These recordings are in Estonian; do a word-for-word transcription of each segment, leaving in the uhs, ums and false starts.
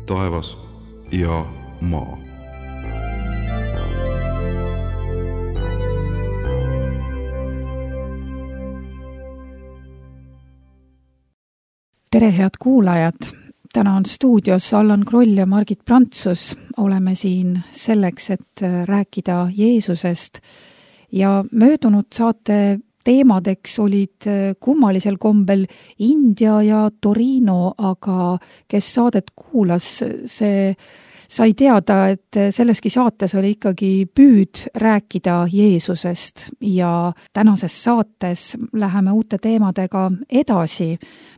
taevas ja maa. Tere, head kuulajad! Täna on stuudios Allan Kroll ja Margit Prantsus. Oleme siin selleks, et rääkida Jeesusest. Ja möödunud saate teemadeks olid kummalisel kombel India ja Torino, aga kes saadet kuulas, see sai teada, et selleski saates oli ikkagi püüd rääkida Jeesusest ja tänases saates läheme uute teemadega edasi.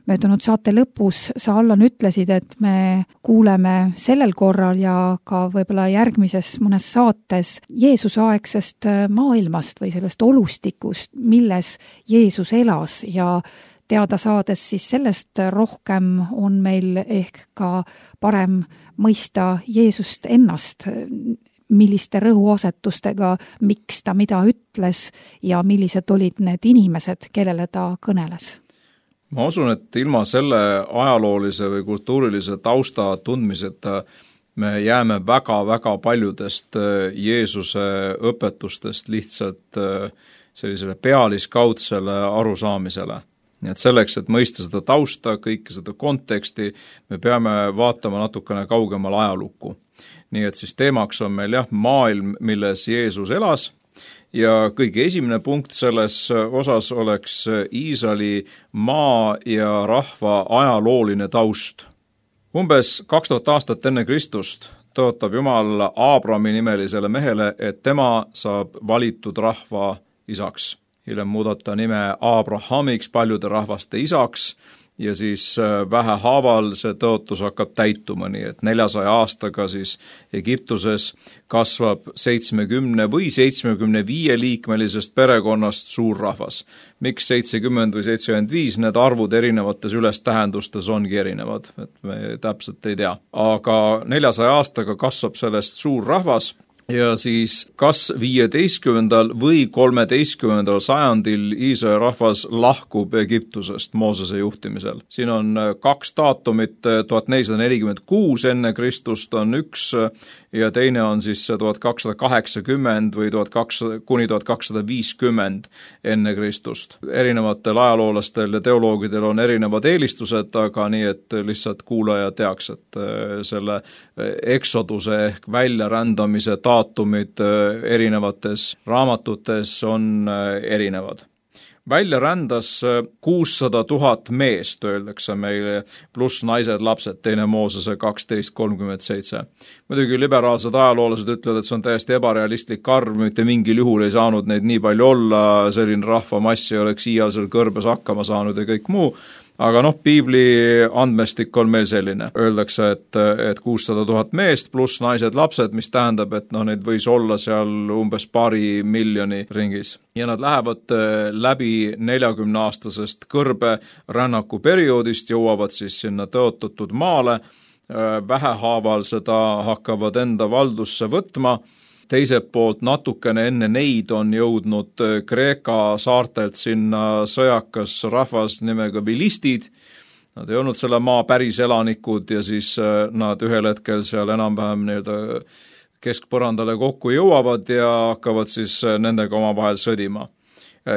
Möödunud saate lõpus sa, Allan, ütlesid, et me kuuleme sellel korral ja ka võib-olla järgmises mõnes saates Jeesuse aegsest maailmast või sellest olustikust, milles Jeesus elas ja teada saades siis sellest rohkem on meil ehk ka parem mõista Jeesust ennast, milliste rõhuasetustega, miks ta mida ütles ja millised olid need inimesed, kellele ta kõneles. Ma usun, et ilma selle ajaloolise või kultuurilise tausta tundmiseta me jääme väga-väga paljudest Jeesuse õpetustest lihtsalt sellisele pealiskaudsele arusaamisele. Nii et selleks, et mõista seda tausta, kõike seda konteksti, me peame vaatama natukene kaugemal ajalukku. Nii et siis teemaks on meil jah, maailm, milles Jeesus elas ja kõige esimene punkt selles osas oleks Iisraeli maa ja rahva ajalooline taust. Umbes kaks tuhat aastat enne Kristust tõotab Jumal Aabrami nimelisele mehele, et tema saab valitud rahva isaks. Hiljem muudata nime Abrahamiks, paljude rahvaste isaks ja siis vähehaaval see tõotus hakkab täituma, nii et neljasaja aastaga siis Egiptuses kasvab seitsmekümne või seitsmekümne viie liikmelisest perekonnast suur rahvas. Miks seitsekümmend või seitsekümmend viis, need arvud erinevates ülestähendustes ongi erinevad, et me täpselt ei tea. Aga neljasaja aastaga kasvab sellest suur rahvas. Ja siis kas viieteistkümnendal või kolmeteistkümnendal sajandil Iisraeli rahvas lahkub Egiptusest Moosese juhtimisel. Siin on kaks daatumit, tuhat nelisada nelikümmend kuus enne Kristust on üks ja teine on siis tuhat kakssada kaheksakümmend või tuhat kakssada kuni tuhat kakssada viiskümmend enne Kristust. Erinevatel ajaloolastel ja teoloogidel on erinevad eelistused, aga nii, et lihtsalt kuulaja teaks, et selle eksoduse ehk väljarändamise daatumid erinevates raamatutes on erinevad. Välja rändas kuussada tuhat meest, öeldakse meile, pluss naised, lapsed, teine Moosese kaksteist kolmkümmend seitse. Muidugi liberaalsed ajaloolased ütlevad, et see on täiesti ebarealistlik arv, mitte mingil juhul ei saanud neid nii palju olla, selline rahvamass ei oleks iial kõrbes hakkama saanud ja kõik muu. Aga noh, piibli andmestik on meil selline. Öeldakse, et, et kuussada tuhat meest pluss naised, lapsed, mis tähendab, et noh, neid võis olla seal umbes paari miljoni ringis. Ja nad lähevad läbi neljakümne aastasest kõrbe rännaku perioodist, jõuavad siis sinna tõotatud maale, vähehaaval seda hakkavad enda valdusse võtma. Teiselt poolt natukene enne neid on jõudnud Kreeka saartelt sinna sõjakas rahvas nimega vilistid. Nad ei olnud selle maa päris elanikud ja siis nad ühel hetkel seal enam-vähem nii-öelda keskpõrandale kokku jõuavad ja hakkavad siis nendega omavahel sõdima.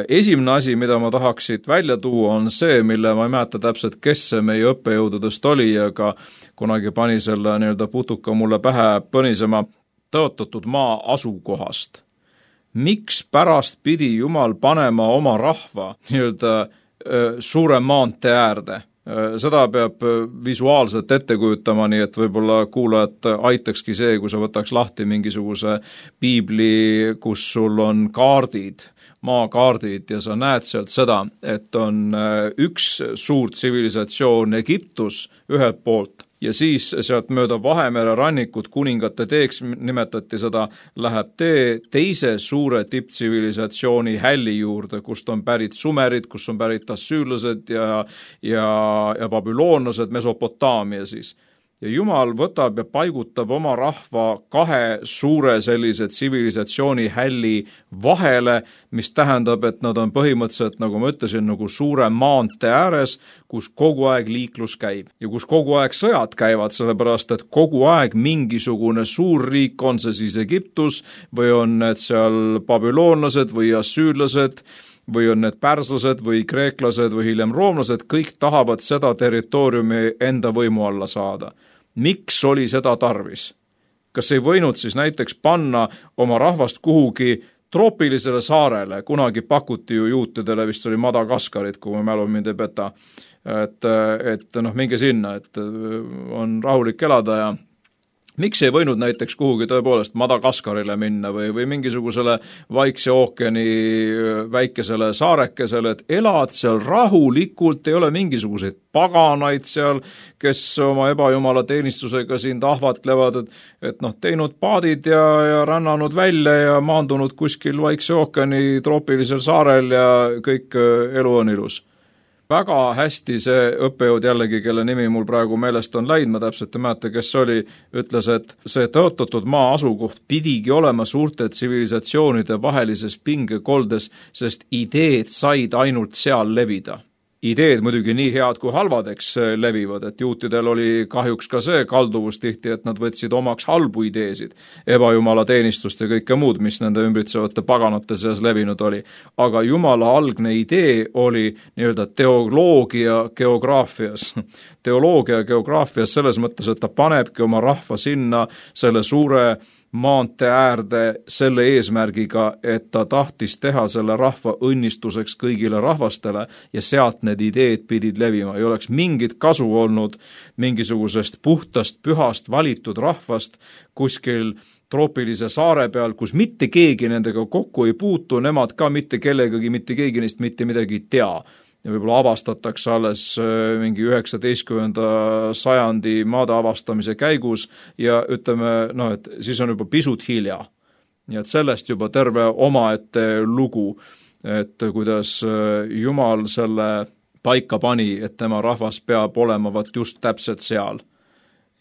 Esimene asi, mida ma tahaksid välja tuua, on see, mille ma ei mäleta täpselt, kes see meie õppejõududest oli, aga kunagi pani selle nii-öelda putuka mulle pähe põnisema tõotatud maa asukohast. Miks pärast pidi Jumal panema oma rahva nii-öelda suure maantee äärde? Seda peab visuaalselt ette kujutama, nii et võib-olla kuulajad aitakski see, kui sa võtaks lahti mingisuguse piibli, kus sul on kaardid, maakaardid ja sa näed sealt seda, et on üks suur tsivilisatsioon Egiptus ühelt poolt ja siis sealt mööda Vahemere rannikut kuningate teeks nimetati seda, läheb tee teise suure tipptsivilisatsiooni hälli juurde, kust on pärit sumerid, kus on pärit assüürlased ja, ja, ja babüloonlased, Mesopotaamia siis. ja Jumal võtab ja paigutab oma rahva kahe suure sellise tsivilisatsiooni hälli vahele, mis tähendab, et nad on põhimõtteliselt, nagu ma ütlesin, nagu suure maantee ääres, kus kogu aeg liiklus käib ja kus kogu aeg sõjad käivad, sellepärast et kogu aeg mingisugune suur riik, on see siis Egiptus või on need seal babüloonlased või assüürlased või on need pärslased või kreeklased või hiljem roomlased, kõik tahavad seda territooriumi enda võimu alla saada. Miks oli seda tarvis? Kas ei võinud siis näiteks panna oma rahvast kuhugi troopilisele saarele? Kunagi pakuti ju juutidele, vist oli Madagaskarit, kui ma mälu mind ei peta, et, et noh, minge sinna, et on rahulik elada ja miks ei võinud näiteks kuhugi tõepoolest Madagaskarile minna või, või mingisugusele Vaikse ookeani väikesele saarekesele, et elad seal rahulikult, ei ole mingisuguseid paganaid seal, kes oma ebajumala teenistusega sind ahvatlevad, et, et noh, teinud paadid ja, ja rännanud välja ja maandunud kuskil Vaikse ookeani troopilisel saarel ja kõik elu on ilus. Väga hästi see õppejõud jällegi, kelle nimi mul praegu meelest on läinud, ma täpselt ei mäleta, kes oli, ütles, et see tõotatud maa asukoht pidigi olema suurte tsivilisatsioonide vahelises pingekoldes, sest ideed said ainult seal levida. Ideed muidugi nii head kui halvad, eks levivad, et juutidel oli kahjuks ka see kalduvus tihti, et nad võtsid omaks halbu ideesid, ebajumala teenistust ja kõike muud, mis nende ümbritsevate paganate seas levinud oli. Aga jumala algne idee oli nii-öelda teoloogia geograafias. Teoloogia geograafias selles mõttes, et ta panebki oma rahva sinna selle suure maantee äärde selle eesmärgiga, et ta tahtis teha selle rahva õnnistuseks kõigile rahvastele ja sealt need ideed pidid levima. Ei oleks mingit kasu olnud mingisugusest puhtast, pühast valitud rahvast kuskil troopilise saare peal, kus mitte keegi nendega kokku ei puutu, nemad ka mitte kellegagi, mitte keegi neist mitte midagi ei tea. Ja võib-olla avastatakse alles mingi üheksateistkümnenda sajandi maade avastamise käigus ja ütleme, no, et siis on juba pisut hilja. Nii et sellest juba terve omaette lugu, et kuidas Jumal selle paika pani, et tema rahvas peab olema vat just täpselt seal.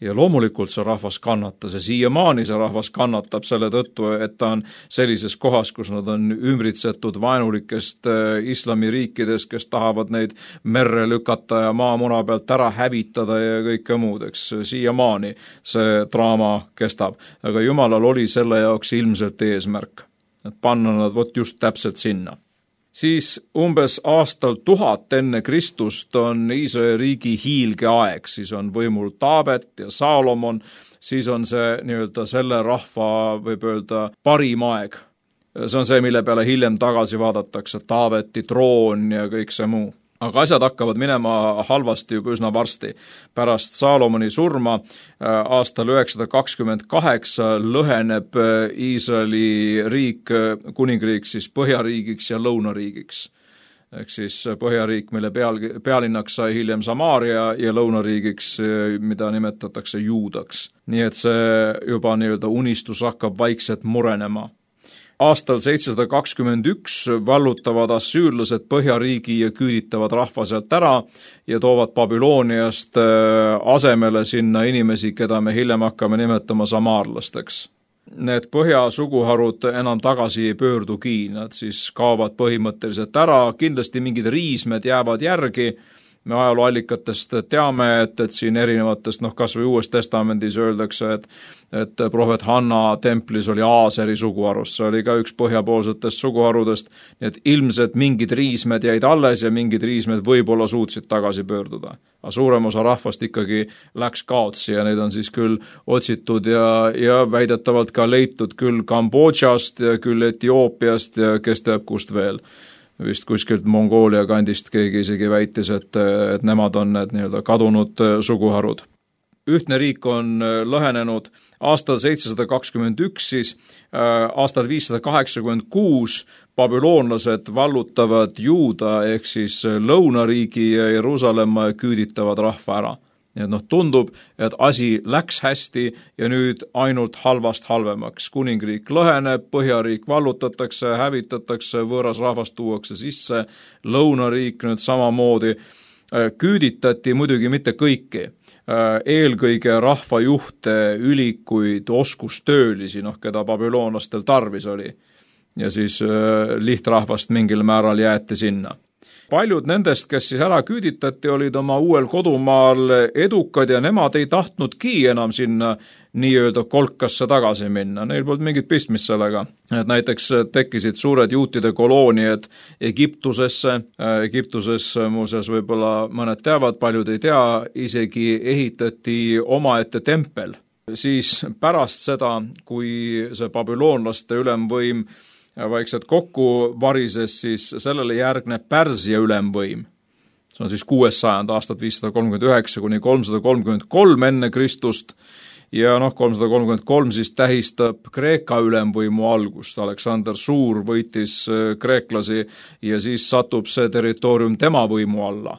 Ja loomulikult see rahvas kannatas ja siiamaani see rahvas kannatab selle tõttu, et ta on sellises kohas, kus nad on ümbritsetud vaenulikest islamiriikidest, kes tahavad neid merre lükata ja maamuna pealt ära hävitada ja kõike muud, eks siiamaani see draama kestab. Aga Jumalal oli selle jaoks ilmselt eesmärk, et panna nad vot just täpselt sinna. Siis umbes aastal tuhat enne Kristust on Iisraeli riigi hiilge aeg, siis on võimul Taavet ja Saalomon, siis on see nii-öelda selle rahva, võib öelda, parim aeg. See on see, mille peale hiljem tagasi vaadatakse, Taaveti troon ja kõik see muu. Aga asjad hakkavad minema halvasti juba üsna varsti. Pärast Saalomoni surma aastal üheksasada kakskümmend kaheksa lõheneb Iisraeli riik, kuningriik siis põhjariigiks ja lõunariigiks. Ehk siis põhjariik, mille peal, pealinnaks sai hiljem Samaaria ja lõunariigiks, mida nimetatakse Juudaks. Nii et see juba nii-öelda unistus hakkab vaikselt murenema. Aastal seitsesada kakskümmend üks vallutavad assüürlased põhjariigi ja küüditavad rahva sealt ära ja toovad Babyloniast asemele sinna inimesi, keda me hiljem hakkame nimetama samaarlasteks. Need põhjasuguharud enam tagasi ei pöördugi, nad siis kaovad põhimõtteliselt ära, kindlasti mingid riismed jäävad järgi. Me ajalooallikatest teame, et, et siin erinevatest, noh kas või Uues testamendis öeldakse, et, et prohvet Hanna templis oli Aaseri suguharust, see oli ka üks põhjapoolsetest suguharudest, nii et ilmselt mingid riismed jäid alles ja mingid riismed võib-olla suutsid tagasi pöörduda. Aga suurem osa rahvast ikkagi läks kaotsi ja neid on siis küll otsitud ja, ja väidetavalt ka leitud küll Kambodžast ja küll Etioopiast ja kes teab kust veel. Vist kuskilt Mongoolia kandist keegi isegi väitis, et, et nemad on need nii-öelda kadunud suguharud. Ühtne riik on lõhenenud aastal seitsesada kakskümmend üks, siis aastal viissada kaheksakümmend kuus babüloonlased vallutavad Juuda ehk siis lõunariigi ja Jeruusalemma ja küüditavad rahva ära. Nii et noh, tundub, et asi läks hästi ja nüüd ainult halvast halvemaks. Kuningriik lõheneb, põhjariik vallutatakse, hävitatakse, võõras rahvast tuuakse sisse, lõunariik nüüd samamoodi. Küüditati muidugi mitte kõiki, eelkõige rahvajuhte, ülikuid, oskustöölisi, noh, keda babüloonlastel tarvis oli. Ja siis lihtrahvast mingil määral jäeti sinna. Paljud nendest, kes siis ära küüditati, olid oma uuel kodumaal edukad ja nemad ei tahtnudki enam sinna nii-öelda kolkasse tagasi minna. Neil polnud mingit pistmist sellega. Et näiteks tekkisid suured juutide kolooniad Egiptusesse. Egiptusesse muuseas võib-olla mõned teavad, paljud ei tea, isegi ehitati omaette tempel. Siis pärast seda, kui see babüloonlaste ülemvõim vaikselt kokku varises, siis sellele järgneb Pärsia ülemvõim. See on siis kuues sajand, aastat viissada kolmkümmend üheksa kuni kolmsada kolmkümmend kolm enne Kristust. Ja noh, kolmsada kolmkümmend kolm siis tähistab Kreeka ülemvõimu algust. Aleksander Suur võitis kreeklasi ja siis satub see territoorium tema võimu alla.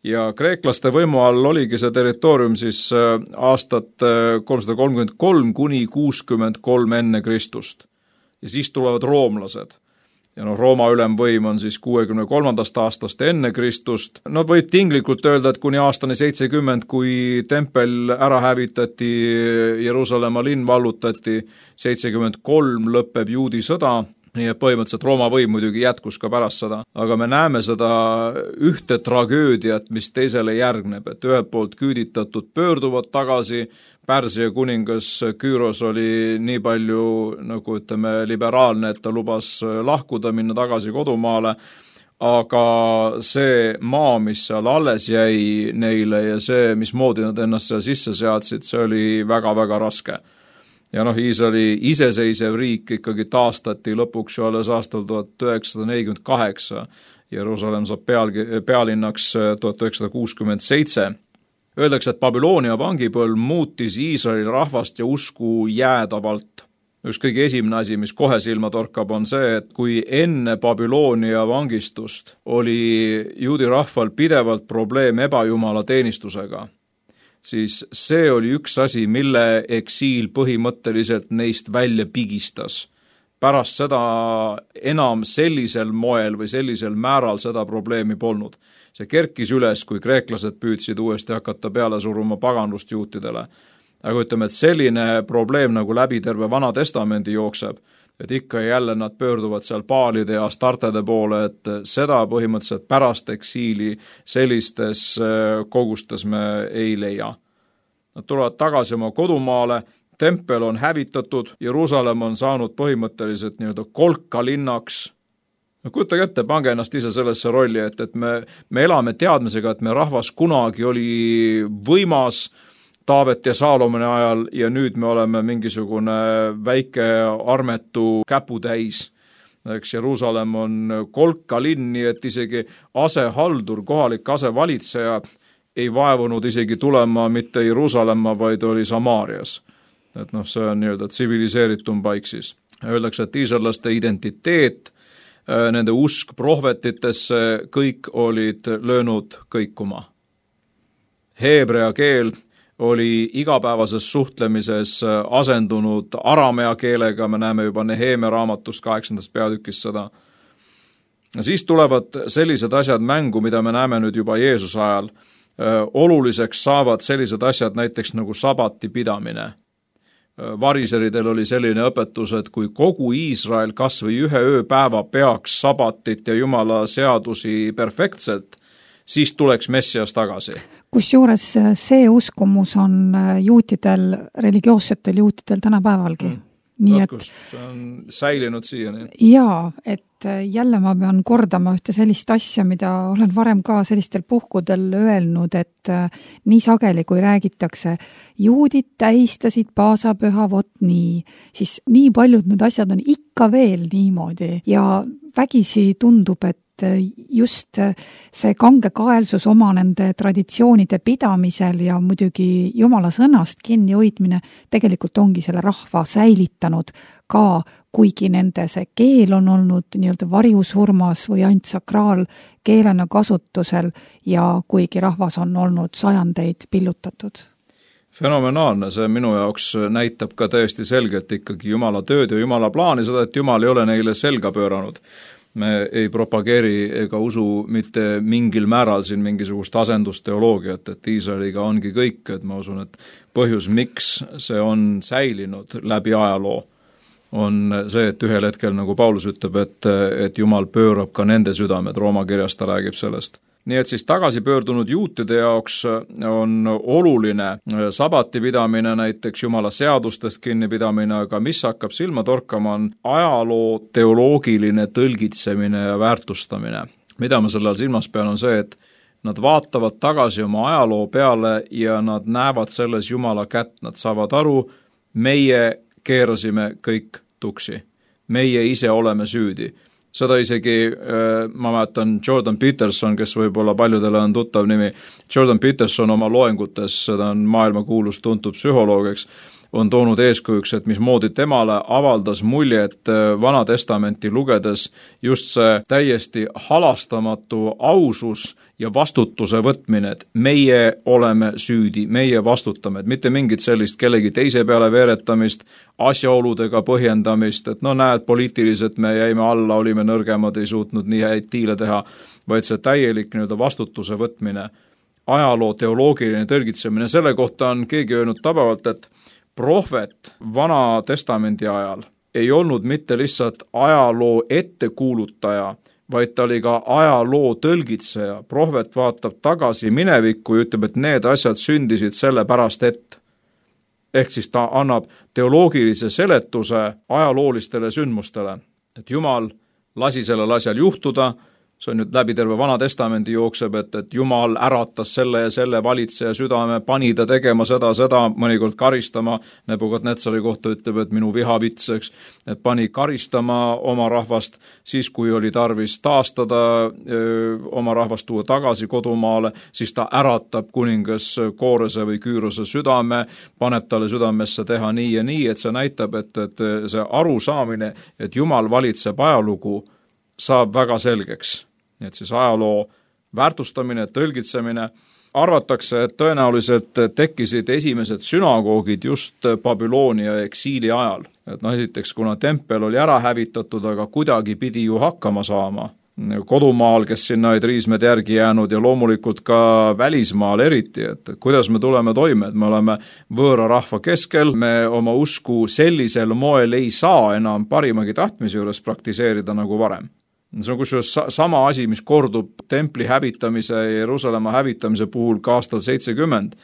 Ja kreeklaste võimu all oligi see territoorium siis aastat kolmsada kolmkümmend kolm kuni kuuskümmend kolm enne Kristust. Ja siis tulevad roomlased. Ja no Rooma ülemvõim on siis kuuekümne kolmandast aastast enne Kristust. No võib tinglikult öelda, et kuni aastani seitsekümmend, kui tempel ära hävitati, Jeruusalemma linn vallutati, seitsekümmend kolm lõpeb juudi sõda. Nii et põhimõtteliselt Rooma võim muidugi jätkus ka pärast seda, aga me näeme seda ühte tragöödiat, mis teisele järgneb, et ühelt poolt küüditatud pöörduvad tagasi, Pärsia kuningas Küüros oli nii palju, nagu ütleme, liberaalne, et ta lubas lahkuda, minna tagasi kodumaale, aga see maa, mis seal alles jäi neile ja see, mismoodi nad ennast seal sisse seadsid, see oli väga-väga raske. Ja noh, Iisraeli iseseisev riik ikkagi taastati lõpuks ju alles aastal tuhat üheksasada nelikümmend kaheksa. Jeruusalemm saab peal, pealinnaks tuhat üheksasada kuuskümmend seitse. Öeldakse, et Babyloonia vangipõlv muutis Iisraeli rahvast ja usku jäädavalt. Üks kõige esimene asi, mis kohe silma torkab, on see, et kui enne Babyloonia vangistust oli juudi rahval pidevalt probleem ebajumala teenistusega, siis see oli üks asi, mille eksiil põhimõtteliselt neist välja pigistas. Pärast seda enam sellisel moel või sellisel määral seda probleemi polnud. See kerkis üles, kui kreeklased püüdsid uuesti hakata peale suruma paganlust juutidele. Aga ütleme, et selline probleem nagu läbi terve Vana Testamendi jookseb, et ikka jälle nad pöörduvad seal Baalide ja Astartede poole, et seda põhimõtteliselt pärast eksiili sellistes kogustes me ei leia. Nad tulevad tagasi oma kodumaale, tempel on hävitatud, Jeruusalemm on saanud põhimõtteliselt nii-öelda kolkalinnaks. No kujutage ette, pange ennast ise sellesse rolli, et, et me, me elame teadmisega, et me rahvas kunagi oli võimas Taavet ja Saalomoni ajal ja nüüd me oleme mingisugune väike armetu käputäis. Eks Jeruusalemm on kolkalinn, nii et isegi asehaldur, kohalik asevalitseja ei vaevunud isegi tulema mitte Jeruusalemma, vaid oli Samaarias. Et noh, see on nii-öelda tsiviliseeritum paik siis. Öeldakse, et iisraelaste identiteet, nende usk prohvetitesse, kõik olid löönud kõikuma. Heebrea keel oli igapäevases suhtlemises asendunud aramea keelega, me näeme juba Neheemia raamatust kaheksandast peatükist seda. Siis tulevad sellised asjad mängu, mida me näeme nüüd juba Jeesuse ajal. Oluliseks saavad sellised asjad näiteks nagu sabati pidamine. Variseridel oli selline õpetus, et kui kogu Iisrael kas või ühe ööpäeva peaks sabatit ja Jumala seadusi perfektselt, siis tuleks Messias tagasi. Kusjuures see uskumus on juutidel, religioossetel juutidel tänapäevalgi. Mm. Nii et, see on säilinud siiani. Jaa, et jälle ma pean kordama ühte sellist asja, mida olen varem ka sellistel puhkudel öelnud, et nii sageli, kui räägitakse, juudid tähistasid paasapüha vot nii, siis nii paljud need asjad on ikka veel niimoodi ja vägisi tundub, et just see kangekaelsus oma nende traditsioonide pidamisel ja muidugi Jumala sõnast kinni hoidmine tegelikult ongi selle rahva säilitanud ka, kuigi nende see keel on olnud nii-öelda varjusurmas või ainult sakraalkeelena kasutusel ja kuigi rahvas on olnud sajandeid pillutatud. Fenomenaalne, see minu jaoks näitab ka täiesti selgelt ikkagi Jumala tööd ja Jumala plaani, seda, et Jumal ei ole neile selga pööranud. me ei propageeri ega usu mitte mingil määral siin mingisugust asendusteoloogiat, et Iisraeliga ongi kõik, et ma usun, et põhjus, miks see on säilinud läbi ajaloo, on see, et ühel hetkel, nagu Paulus ütleb, et, et Jumal pöörab ka nende südamed, Rooma kirjas ta räägib sellest. Nii et siis tagasi pöördunud juutide jaoks on oluline sabati pidamine, näiteks Jumala seadustest kinnipidamine, aga mis hakkab silma torkama, on ajaloo teoloogiline tõlgitsemine ja väärtustamine. Mida ma selle all silmas pean, on see, et nad vaatavad tagasi oma ajaloo peale ja nad näevad selles Jumala kätt, nad saavad aru, meie keerasime kõik tuksi. Meie ise oleme süüdi. Seda isegi, ma mäletan, Jordan Peterson, kes võib-olla paljudele on tuttav nimi, Jordan Peterson oma loengutes, seda on maailma kuulus tuntud psühholoogiks, on toonud eeskujuks, et mismoodi temale avaldas mulje, et Vana Testamenti lugedes just see täiesti halastamatu ausus ja vastutuse võtmine, et meie oleme süüdi, meie vastutame, et mitte mingit sellist kellegi teise peale veeretamist, asjaoludega põhjendamist, et no näed, poliitiliselt me jäime alla, olime nõrgemad, ei suutnud nii häid diile teha, vaid see täielik nii-öelda vastutuse võtmine, ajaloo teoloogiline tõlgitsemine, selle kohta on keegi öelnud tabavalt, et prohvet Vana Testamendi ajal ei olnud mitte lihtsalt ajaloo ettekuulutaja, vaid ta oli ka ajaloo tõlgitseja. Prohvet vaatab tagasi minevikku ja ütleb, et need asjad sündisid selle pärast, et. Ehk siis ta annab teoloogilise seletuse ajaloolistele sündmustele, et Jumal lasi sellel asjal juhtuda. See on nüüd läbi terve Vana Testamendi jookseb, et, et Jumal äratas selle ja selle valitseja südame, pani ta tegema seda, seda, mõnikord karistama. Nebukadnetsari kohta ütleb, et minu vihavitseks, et pani karistama oma rahvast, siis kui oli tarvis taastada öö, oma rahvast tuua tagasi kodumaale, siis ta äratab kuningas Koorese või Küürose südame, paneb talle südamesse teha nii ja nii, et see näitab, et, et see arusaamine, et Jumal valitseb ajalugu, saab väga selgeks. Et siis ajaloo väärtustamine, tõlgitsemine, arvatakse, et tõenäoliselt tekkisid esimesed sünagoogid just Babyloonia eksiili ajal. Et no esiteks, kuna tempel oli ära hävitatud, aga kuidagi pidi ju hakkama saama. Kodumaal, kes sinna olid riismed järgi jäänud ja loomulikult ka välismaal eriti, et kuidas me tuleme toime, et me oleme võõra rahva keskel, me oma usku sellisel moel ei saa enam parimagi tahtmise juures praktiseerida nagu varem. See on kusjuures sama asi, mis kordub templi hävitamise ja Jeruusalemma hävitamise puhul ka aastal seitsekümmend.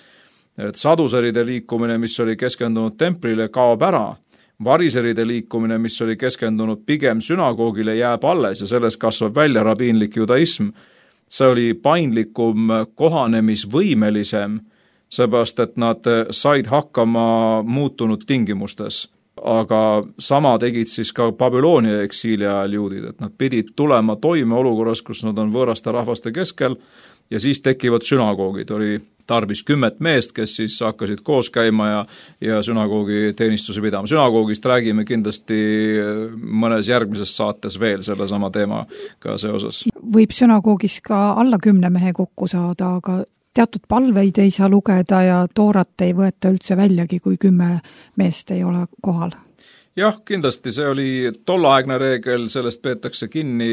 Et saduseride liikumine, mis oli keskendunud templile, kaob ära. Variseride liikumine, mis oli keskendunud pigem sünagoogile, jääb alles ja sellest kasvab välja rabiinlik judaism. See oli paindlikum, kohanemisvõimelisem, seepärast, et nad said hakkama muutunud tingimustes. Aga sama tegid siis ka Babyloonia eksiili ajal juudid, et nad pidid tulema toime olukorras, kus nad on võõraste rahvaste keskel ja siis tekivad sünagoogid. Oli tarvis kümmet meest, kes siis hakkasid koos käima ja, ja sünagoogi teenistuse pidama. Sünagoogist räägime kindlasti mõnes järgmises saates veel selle sama teemaga seoses. Võib sünagoogis ka alla kümne mehe kokku saada, aga teatud palveid ei saa lugeda ja toorat ei võeta üldse väljagi, kui kümme meest ei ole kohal. Jah, kindlasti see oli tollaegne reegel, sellest peetakse kinni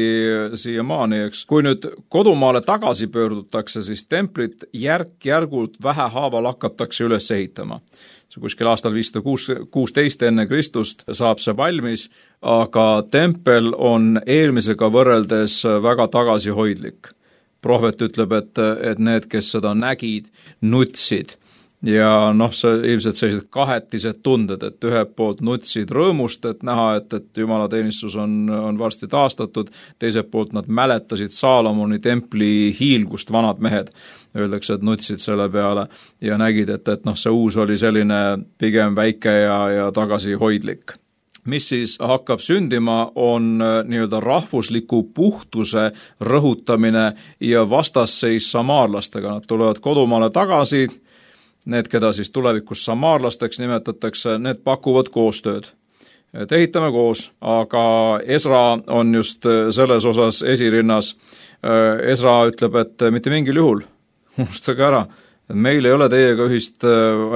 siiamaani, eks. Kui nüüd kodumaale tagasi pöördutakse, siis templit järk-järgult vähehaaval hakatakse üles ehitama. See kuskil aastal viissada kuusteist enne Kristust saab see valmis, aga tempel on eelmisega võrreldes väga tagasihoidlik. Prohvet ütleb, et, et need, kes seda nägid, nutsid ja noh, see ilmselt sellised kahetised tunded, et ühelt poolt nutsid rõõmust, et näha, et, et Jumala teenistus on, on varsti taastatud, teiselt poolt nad mäletasid Saalomoni templi hiilgust, vanad mehed, öeldakse, et nutsid selle peale ja nägid, et, et noh, see uus oli selline pigem väike ja, ja tagasihoidlik. Mis siis hakkab sündima, on nii-öelda rahvusliku puhtuse rõhutamine ja vastasseis samaarlastega. Nad tulevad kodumaale tagasi, need, keda siis tulevikus samaarlasteks nimetatakse, need pakuvad koostööd. Et ehitame koos, aga Esra on just selles osas esirinnas. Esra ütleb, et mitte mingil juhul, unustage ära, meil ei ole teiega ühist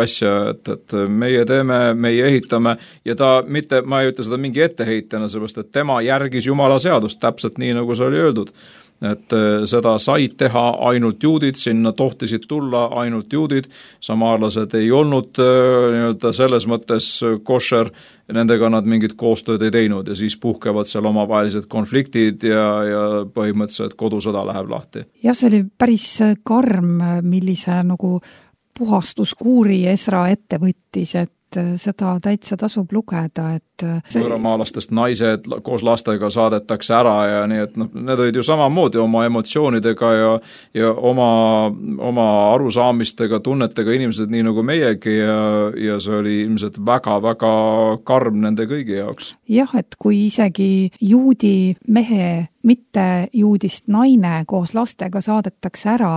asja, et, et meie teeme, meie ehitame ja ta mitte, ma ei ütle seda mingi etteheitjana, sellepärast, et tema järgis Jumala seadust täpselt nii, nagu see oli öeldud. Et seda said teha ainult juudid, sinna tohtisid tulla ainult juudid, samaarlased ei olnud nii-öelda selles mõttes košer, nendega nad mingit koostööd ei teinud ja siis puhkevad seal omavahelised konfliktid ja, ja põhimõtteliselt kodusõda läheb lahti. Jah, see oli päris karm, millise nagu puhastuskuuri Esra ette võttis, et seda täitsa tasub lugeda, et see... võõramaalastest naised koos lastega saadetakse ära ja nii, et noh, need olid ju samamoodi oma emotsioonidega ja, ja oma, oma arusaamistega, tunnetega inimesed nii nagu meiegi ja, ja see oli ilmselt väga-väga karm nende kõigi jaoks. Jah, et kui isegi juudi mehe, mitte juudist naine koos lastega saadetakse ära,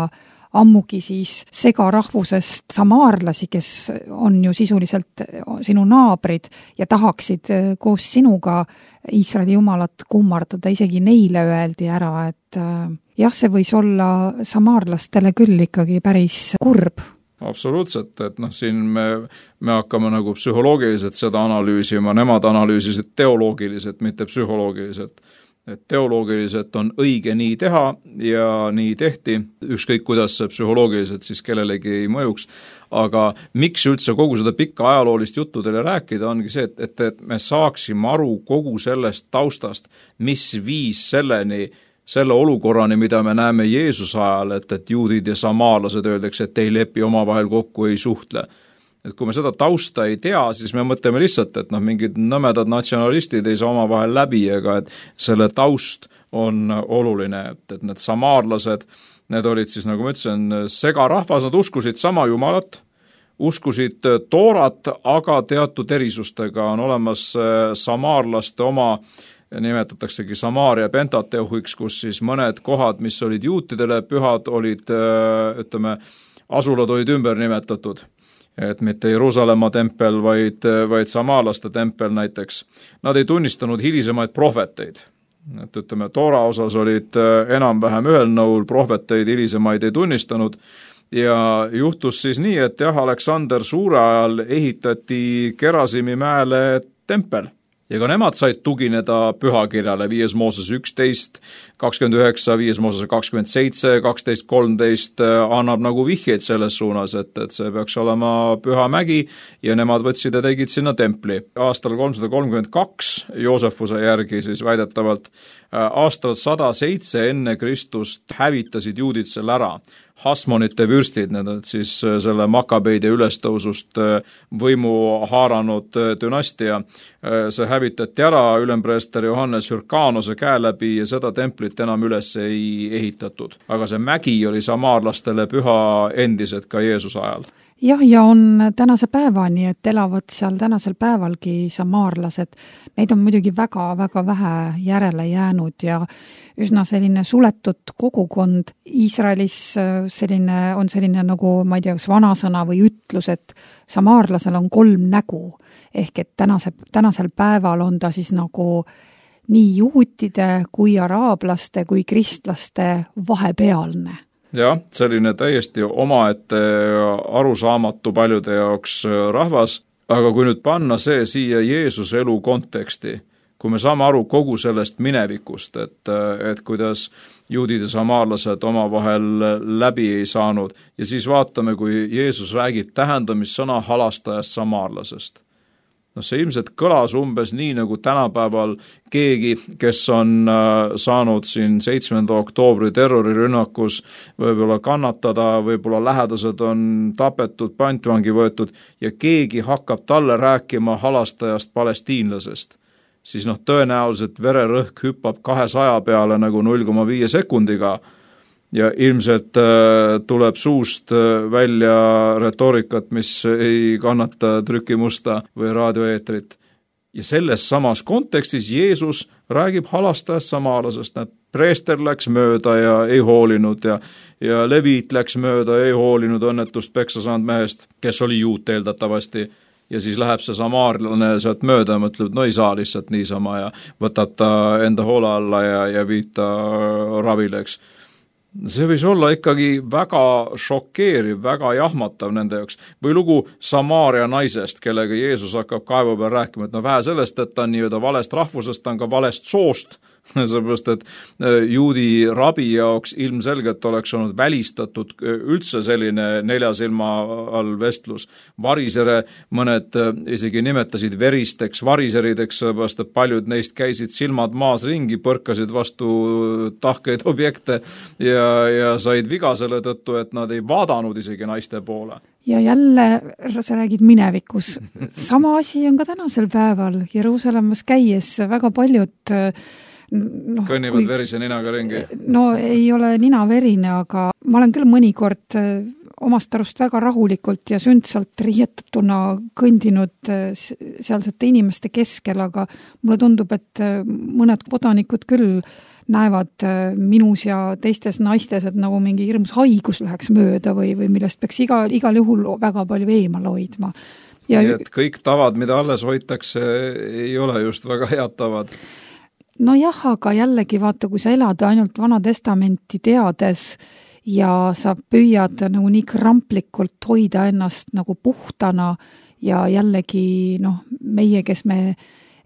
ammugi siis segarahvusest samaarlasi, kes on ju sisuliselt sinu naabrid ja tahaksid koos sinuga Iisraeli jumalat kummardada, isegi neile öeldi ära, et jah, see võis olla samaarlastele küll ikkagi päris kurb. Absoluutselt, et noh, siin me, me hakkame nagu psühholoogiliselt seda analüüsima, nemad analüüsisid teoloogiliselt, mitte psühholoogiliselt. Et teoloogiliselt on õige nii teha ja nii tehti, ükskõik kuidas see psühholoogiliselt siis kellelegi ei mõjuks, aga miks üldse kogu seda pikka ajaloolist juttu teile rääkida, ongi see, et, et, et me saaksime aru kogu sellest taustast, mis viis selleni, selle olukorrani, mida me näeme Jeesuse ajal, et, et juudid ja samaarlased öeldakse, et ei lepi omavahel kokku, ei suhtle. Et kui me seda tausta ei tea, siis me mõtleme lihtsalt, et noh, mingid nõmedad natsionalistid ei saa omavahel läbi, ega et selle taust on oluline, et, et need samaarlased, need olid siis, nagu ma ütlesin, segarahvas, nad uskusid sama jumalat, uskusid toorat, aga teatud erisustega on olemas samaarlaste oma, nimetataksegi Samaaria Pentateuhiks, kus siis mõned kohad, mis olid juutidele pühad, olid, ütleme, asulad olid ümber nimetatud. Et mitte Jeruusalemma tempel, vaid, vaid samaalaste tempel näiteks. Nad ei tunnistanud hilisemaid prohveteid. Et ütleme, Toora osas olid enam-vähem ühel nõul, prohveteid hilisemaid ei tunnistanud ja juhtus siis nii, et jah, Aleksander Suure ajal ehitati Gerasimi mäele tempel. Ja ka nemad said tugineda pühakirjale viies Mooses üksteist, kakskümmend üheksa, viies Mooses kakskümmend seitse, kaksteist kolmteist annab nagu vihjeid selles suunas, et, et see peaks olema püha mägi ja nemad võtsid ja tegid sinna templi. Aastal kolmsada kolmkümmend kaks Joosefuse järgi siis väidetavalt aastal sada seitse enne Kristust hävitasid juudid selle ära. Hasmonite vürstid, need on siis selle Makabeide ülestõusust võimu haaranud dünastia. See hävitati ära ülempreester Johannes Hyrkanose käe läbi ja seda templit enam üles ei ehitatud. Aga see mägi oli samaarlastele püha endiselt ka Jeesuse ajal. Jah, ja on tänase päevani, et elavad seal tänasel päevalgi samaarlased. Neid on muidugi väga-väga vähe järele jäänud ja üsna selline suletud kogukond. Iisraelis selline, on selline nagu, ma ei tea, kas vanasõna või ütlus, et samaarlasel on kolm nägu. Ehk et tänase, tänasel päeval on ta siis nagu nii juutide kui araablaste kui kristlaste vahepealne. Jah, selline täiesti omaette arusaamatu paljude jaoks rahvas, aga kui nüüd panna see siia Jeesuse elu konteksti, kui me saame aru kogu sellest minevikust, et, et kuidas juudid ja samaarlased omavahel läbi ei saanud ja siis vaatame, kui Jeesus räägib tähendamissõna halastajast samaarlasest. No see ilmselt kõlas umbes nii, nagu tänapäeval keegi, kes on saanud siin seitsmenda oktoobri terrorirünnakus võib-olla kannatada, võib-olla lähedased on tapetud, pantvangi võetud ja keegi hakkab talle rääkima halastajast palestiinlasest. Siis noh, tõenäoliselt vererõhk hüppab kahesaja peale nagu null koma viie sekundiga ja ilmselt tuleb suust välja retoorikat, mis ei kannata trükimusta või raadioeetrit. Ja selles samas kontekstis Jeesus räägib halastajast samaalasest, et preester läks mööda ja ei hoolinud ja, ja leviit läks mööda ja ei hoolinud õnnetust peksa saanud mehest, kes oli juut eeldatavasti. Ja siis läheb see samaarlane sealt mööda ja mõtleb, no ei saa lihtsalt niisama ja võtab ta enda hoole alla ja, ja viib ta ravile, eks. see võis olla ikkagi väga šokeeriv, väga jahmatav nende jaoks. Või lugu Samaaria naisest, kellega Jeesus hakkab kaevu peal rääkima, et no vähe sellest, et ta on nii-öelda valest rahvusest, ta on ka valest soost, seepärast, et juudi rabi jaoks ilmselgelt oleks olnud välistatud üldse selline nelja silma all vestlus. Varisere mõned isegi nimetasid veristeks variserideks, seepärast, et paljud neist käisid silmad maas ringi, põrkasid vastu tahkeid objekte ja, ja said viga selle tõttu, et nad ei vaadanud isegi naiste poole. Ja jälle sa räägid minevikus. Sama asi on ka tänasel päeval Jeruusalemmas käies väga paljud No, kõnnivad kui, verise ninaga ringi? No ei ole nina verine, aga ma olen küll mõnikord omast arust väga rahulikult ja sündsalt riietatuna kõndinud sealsete inimeste keskel, aga mulle tundub, et mõned kodanikud küll näevad minus ja teistes naistes, et nagu mingi hirmus haigus läheks mööda või, või millest peaks igal, igal juhul väga palju eemal hoidma. Ja Nii et kõik tavad, mida alles hoitakse, ei ole just väga head tavad. No jah, aga jällegi vaata, kui sa elad ainult Vana Testamenti teades ja sa püüad nagu nii kramplikult hoida ennast nagu puhtana ja jällegi noh, meie, kes me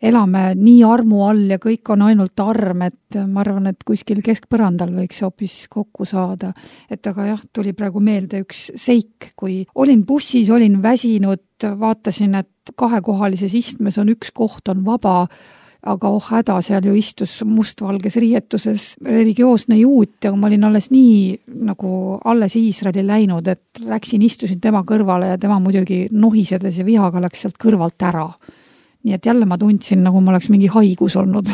elame nii armu all ja kõik on ainult arm, et ma arvan, et kuskil keskpõrandal võiks hoopis kokku saada. Et aga jah, tuli praegu meelde üks seik, kui olin bussis, olin väsinud, vaatasin, et kahekohalises istmes on üks koht on vaba, aga oh häda, seal ju istus mustvalges riietuses religioosne juut ja ma olin alles nii nagu alles Iisraeli läinud, et läksin, istusin tema kõrvale ja tema muidugi nohisedes ja vihaga läks sealt kõrvalt ära. Nii et jälle ma tundsin, nagu ma oleks mingi haigus olnud.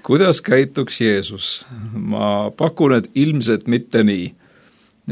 Kuidas käituks Jeesus? Ma pakun, et ilmselt mitte nii.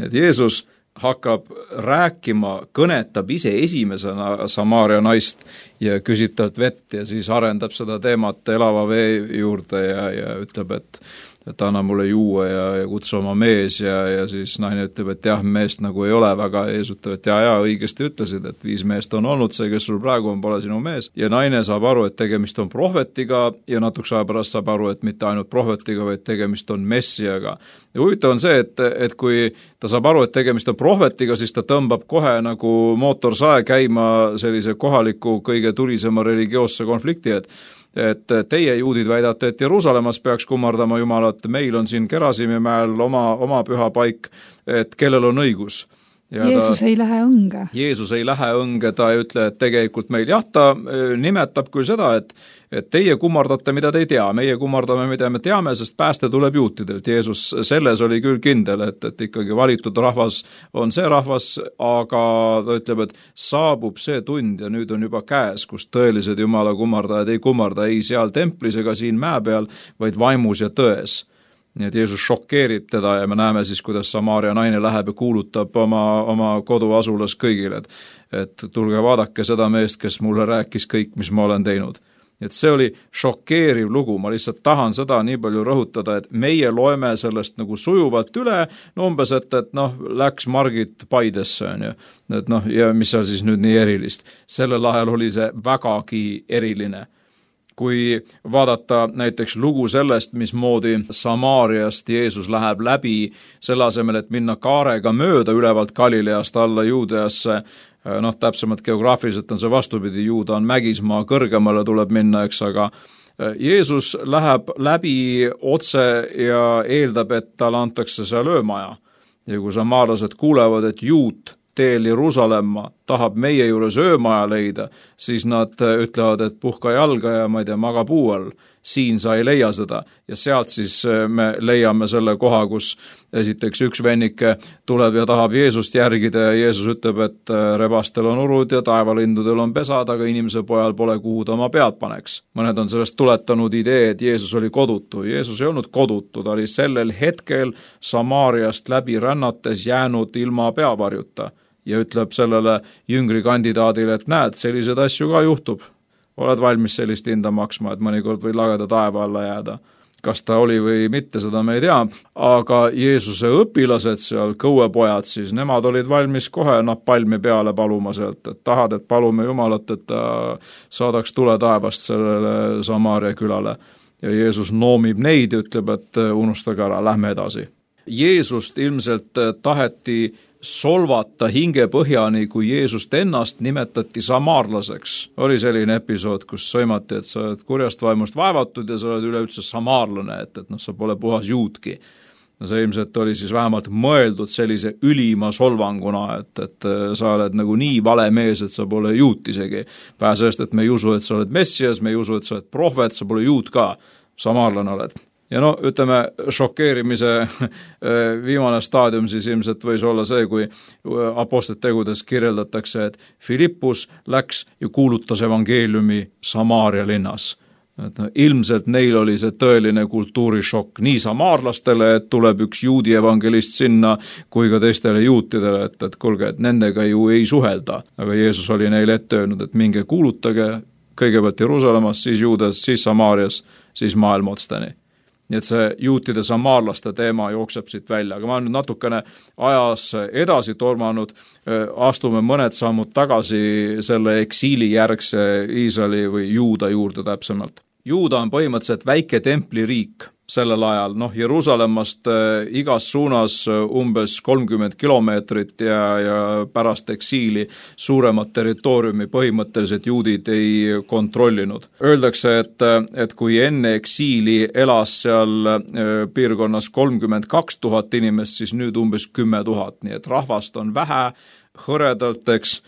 Et Jeesus hakkab rääkima, kõnetab ise esimesena Samaaria naist ja küsib talt vett ja siis arendab seda teemat elava vee juurde ja, ja ütleb, et, et anna mulle juua ja, ja kutsu oma mees ja, ja siis naine ütleb, et jah, meest nagu ei ole väga, Jeesus ütleb, et ja, ja õigesti ütlesid, et viis meest on olnud, see, kes sul praegu on, pole sinu mees. Ja naine saab aru, et tegemist on prohvetiga ja natuks aja pärast saab aru, et mitte ainult prohvetiga, vaid tegemist on messiaga. Ja huvitav on see, et, et kui ta saab aru, et tegemist on prohvetiga, siis ta tõmbab kohe nagu mootorsae käima sellise kohaliku kõige tulisema religioosse konflikti, et et teie juudid väidate, et Jeruusalemmas peaks kummardama Jumalat, meil on siin Gerasimi mäel oma, oma püha paik, et kellel on õigus. Ja Jeesus ta, ei lähe õnge. Jeesus ei lähe õnge, ta ei ütle, et tegelikult meil, jah, ta nimetab küll seda, et, et teie kummardate, mida te ei tea, meie kummardame, mida me teame, sest pääste tuleb juutidelt. Jeesus selles oli küll kindel, et, et ikkagi valitud rahvas on see rahvas, aga ta ütleb, et saabub see tund ja nüüd on juba käes, kus tõelised Jumala kummardajad ei kummarda ei seal templis ega siin mäe peal, vaid vaimus ja tões. Nii et Jeesus šokeerib teda ja me näeme siis, kuidas Samaaria naine läheb ja kuulutab oma, oma koduasulas kõigile, et, et tulge vaadake seda meest, kes mulle rääkis kõik, mis ma olen teinud. Et see oli šokeeriv lugu, ma lihtsalt tahan seda nii palju rõhutada, et meie loeme sellest nagu sujuvalt üle, no umbes, et, et noh, läks Margit Paidesse, on ju, et noh, ja mis seal siis nüüd nii erilist. Sellel ajal oli see vägagi eriline. Kui vaadata näiteks lugu sellest, mismoodi Samaariast Jeesus läheb läbi selle asemel, et minna kaarega mööda ülevalt Galileast alla Juudeasse, noh, täpsemalt geograafiliselt on see vastupidi, Juuda on mägismaa, kõrgemale tuleb minna, eks, aga Jeesus läheb läbi otse ja eeldab, et talle antakse seal öömaja. Ja kui samaarlased kuulevad, et juut teel Jeruusalemma tahab meie juures öömaja leida, siis nad ütlevad, et puhka jalga ja ma ei tea, maga puu all. Siin sa ei leia seda ja sealt siis me leiame selle koha, kus esiteks üks vennike tuleb ja tahab Jeesust järgida ja Jeesus ütleb, et rebastel on urud ja taevalindudel on pesad, aga inimese pojal pole kuhu ta oma pead paneks. Mõned on sellest tuletanud idee, et Jeesus oli kodutu. Jeesus ei olnud kodutu, ta oli sellel hetkel Samaariast läbi rännates jäänud ilma peavarjuta ja ütleb sellele jüngri kandidaadile, et näed, sellised asju ka juhtub. Oled valmis sellist hinda maksma, et mõnikord võid lageda taeva alla jääda. Kas ta oli või mitte, seda me ei tea. Aga Jeesuse õpilased seal, kõuepojad siis, nemad olid valmis kohe napalmi peale paluma sealt, et tahad, et palume Jumalat, et ta saadaks tule taevast sellele Samaaria külale. Ja Jeesus noomib neid ja ütleb, et unustage ära, lähme edasi. Jeesust ilmselt taheti solvata hingepõhjani, kui Jeesust ennast nimetati samaarlaseks. Oli selline episood, kus sõimati, et sa oled kurjast vaimust vaevatud ja sa oled üleüldse samaarlane, et, et noh, sa pole puhas juudki. No see ilmselt oli siis vähemalt mõeldud sellise ülima solvanguna, et, et sa oled nagu nii vale mees, et sa pole juut isegi. Vähe sellest, et me ei usu, et sa oled messias, me ei usu, et sa oled prohvet, sa pole juut ka, samaarlane oled. Ja no, ütleme, šokeerimise viimane staadium siis ilmselt võis olla see, kui apostlite tegudes kirjeldatakse, et Filippus läks ja kuulutas evangeeliumi Samaaria linnas. Et no, ilmselt neil oli see tõeline kultuurishokk nii samaarlastele, et tuleb üks juudi evangelist sinna, kui ka teistele juutidele, et, et kulge, et nendega ju ei suhelda. Aga Jeesus oli neile ette öelnud, et minge kuulutage kõigepealt Jeruusalemmas, siis Juudas, siis Samaarias, siis maailma otsteni. Nii et see juutide samaarlaste teema jookseb siit välja, aga ma olen nüüd natukene ajas edasi tormanud, astume mõned sammud tagasi selle eksiili järgse Iisraeli või Juuda juurde täpsemalt. Juuda on põhimõtteliselt väike templiriik sellel ajal, noh Jeruusalemmast igas suunas umbes kolmkümmend kilomeetrit ja, ja pärast eksiili suuremat territooriumi põhimõtteliselt juudid ei kontrollinud. Öeldakse, et, et kui enne eksiili elas seal piirkonnas kolmkümmend kaks tuhat inimest, siis nüüd umbes kümme tuhat, nii et rahvast on vähe, hõredalt, eks.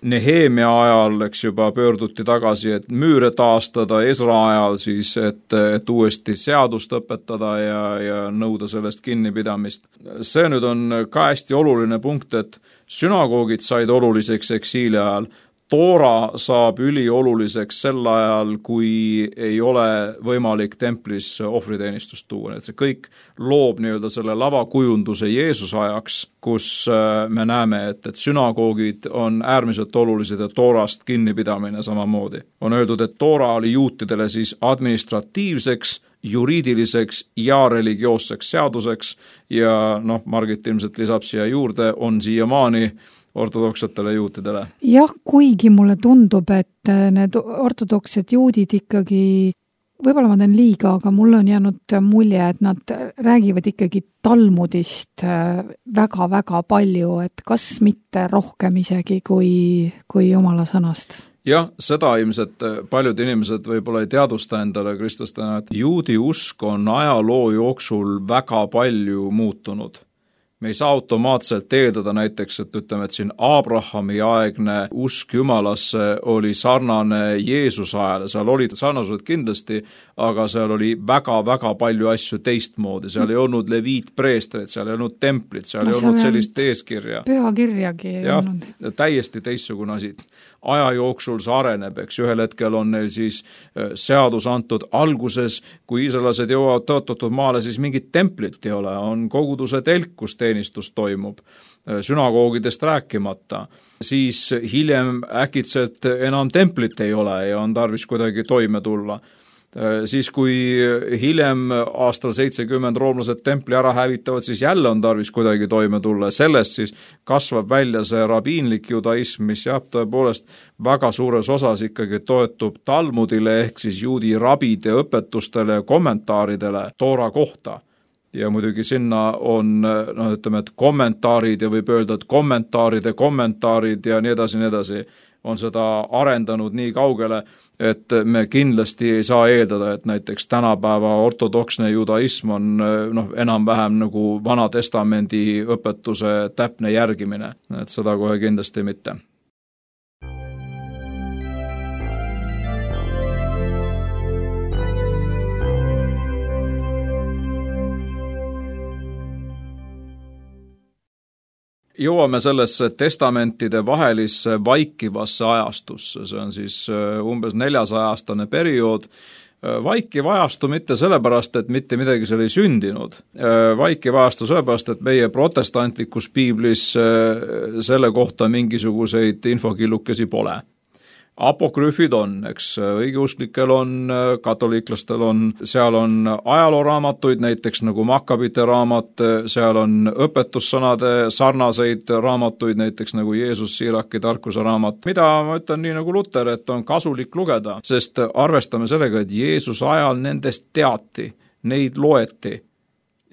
Nehemia ajal, eks juba pöörduti tagasi, et müüre taastada, Ezra ajal siis, et, et uuesti seadust õpetada ja, ja nõuda sellest kinnipidamist. See nüüd on ka hästi oluline punkt, et sünagoogid said oluliseks eksiili ajal. Toora saab ülioluliseks sel ajal, kui ei ole võimalik templis ohvriteenistust tuua. Et see kõik loob nii-öelda selle lavakujunduse Jeesuse ajaks, kus me näeme, et, et sünagoogid on äärmiselt olulised ja toorast kinnipidamine samamoodi. On öeldud, et toora oli juutidele siis administratiivseks, juriidiliseks ja religioosseks seaduseks ja noh, Margit ilmselt lisab siia juurde, on siiamaani ortodoksetele juutidele. Jah, kuigi mulle tundub, et need ortodoksed juudid ikkagi, võib-olla ma teen liiga, aga mulle on jäänud mulje, et nad räägivad ikkagi Talmudist väga-väga palju, et kas mitte rohkem isegi kui, kui Jumala sõnast. Jah, seda ilmselt paljud inimesed võib-olla ei teadusta endale kristlastena, et juudi usk on ajaloo jooksul väga palju muutunud. Me ei saa automaatselt eeldada näiteks, et ütleme, et siin Abrahami aegne usk Jumalasse oli sarnane Jeesuse ajale, seal olid sarnasused kindlasti, aga seal oli väga-väga palju asju teistmoodi, seal ei olnud leviitpreestreid, seal ei olnud templit, seal no, ei olnud sellist eeskirja. Pühakirjagi ei ja, olnud. Täiesti teistsugune asi. Aja jooksul see areneb, eks ühel hetkel on neil siis seadus antud alguses, kui iisraelased jõuavad tõotatud maale, siis mingit templit ei ole, on koguduse telk, kus teenistus toimub, sünagoogidest rääkimata. Siis hiljem äkitselt enam templit ei ole ja on tarvis kuidagi toime tulla. Siis kui hiljem aastal seitsekümmend roomlased templi ära hävitavad, siis jälle on tarvis kuidagi toime tulla. Sellest siis kasvab välja see rabiinlik judaism, mis jah, tõepoolest väga suures osas ikkagi toetub Talmudile ehk siis juudi rabide õpetustele ja kommentaaridele Toora kohta. Ja muidugi sinna on, no ütleme, et kommentaarid ja võib öelda, et kommentaaride kommentaarid ja nii edasi, nii edasi on seda arendanud nii kaugele, et me kindlasti ei saa eeldada, et näiteks tänapäeva ortodoksne judaism on noh, enam-vähem nagu Vana Testamendi õpetuse täpne järgimine, et seda kohe kindlasti mitte. Jõuame sellesse testamentide vahelisse vaikivasse ajastusse, see on siis umbes neljasaja-aastane periood. Vaikiv ajastu mitte sellepärast, et mitte midagi seal ei sündinud. Vaikiv ajastu sellepärast, et meie protestantlikus piiblis selle kohta mingisuguseid infokillukesi pole. Apokrüüfid on, eks õigeusklikel on, katoliiklastel on, seal on ajalooraamatuid, näiteks nagu Makkabite raamat, seal on õpetussõnade sarnaseid raamatuid, näiteks nagu Jeesus Siiraki tarkuse raamat, mida ma ütlen nii nagu Luter, et on kasulik lugeda, sest arvestame sellega, et Jeesus ajal nendest teati, neid loeti.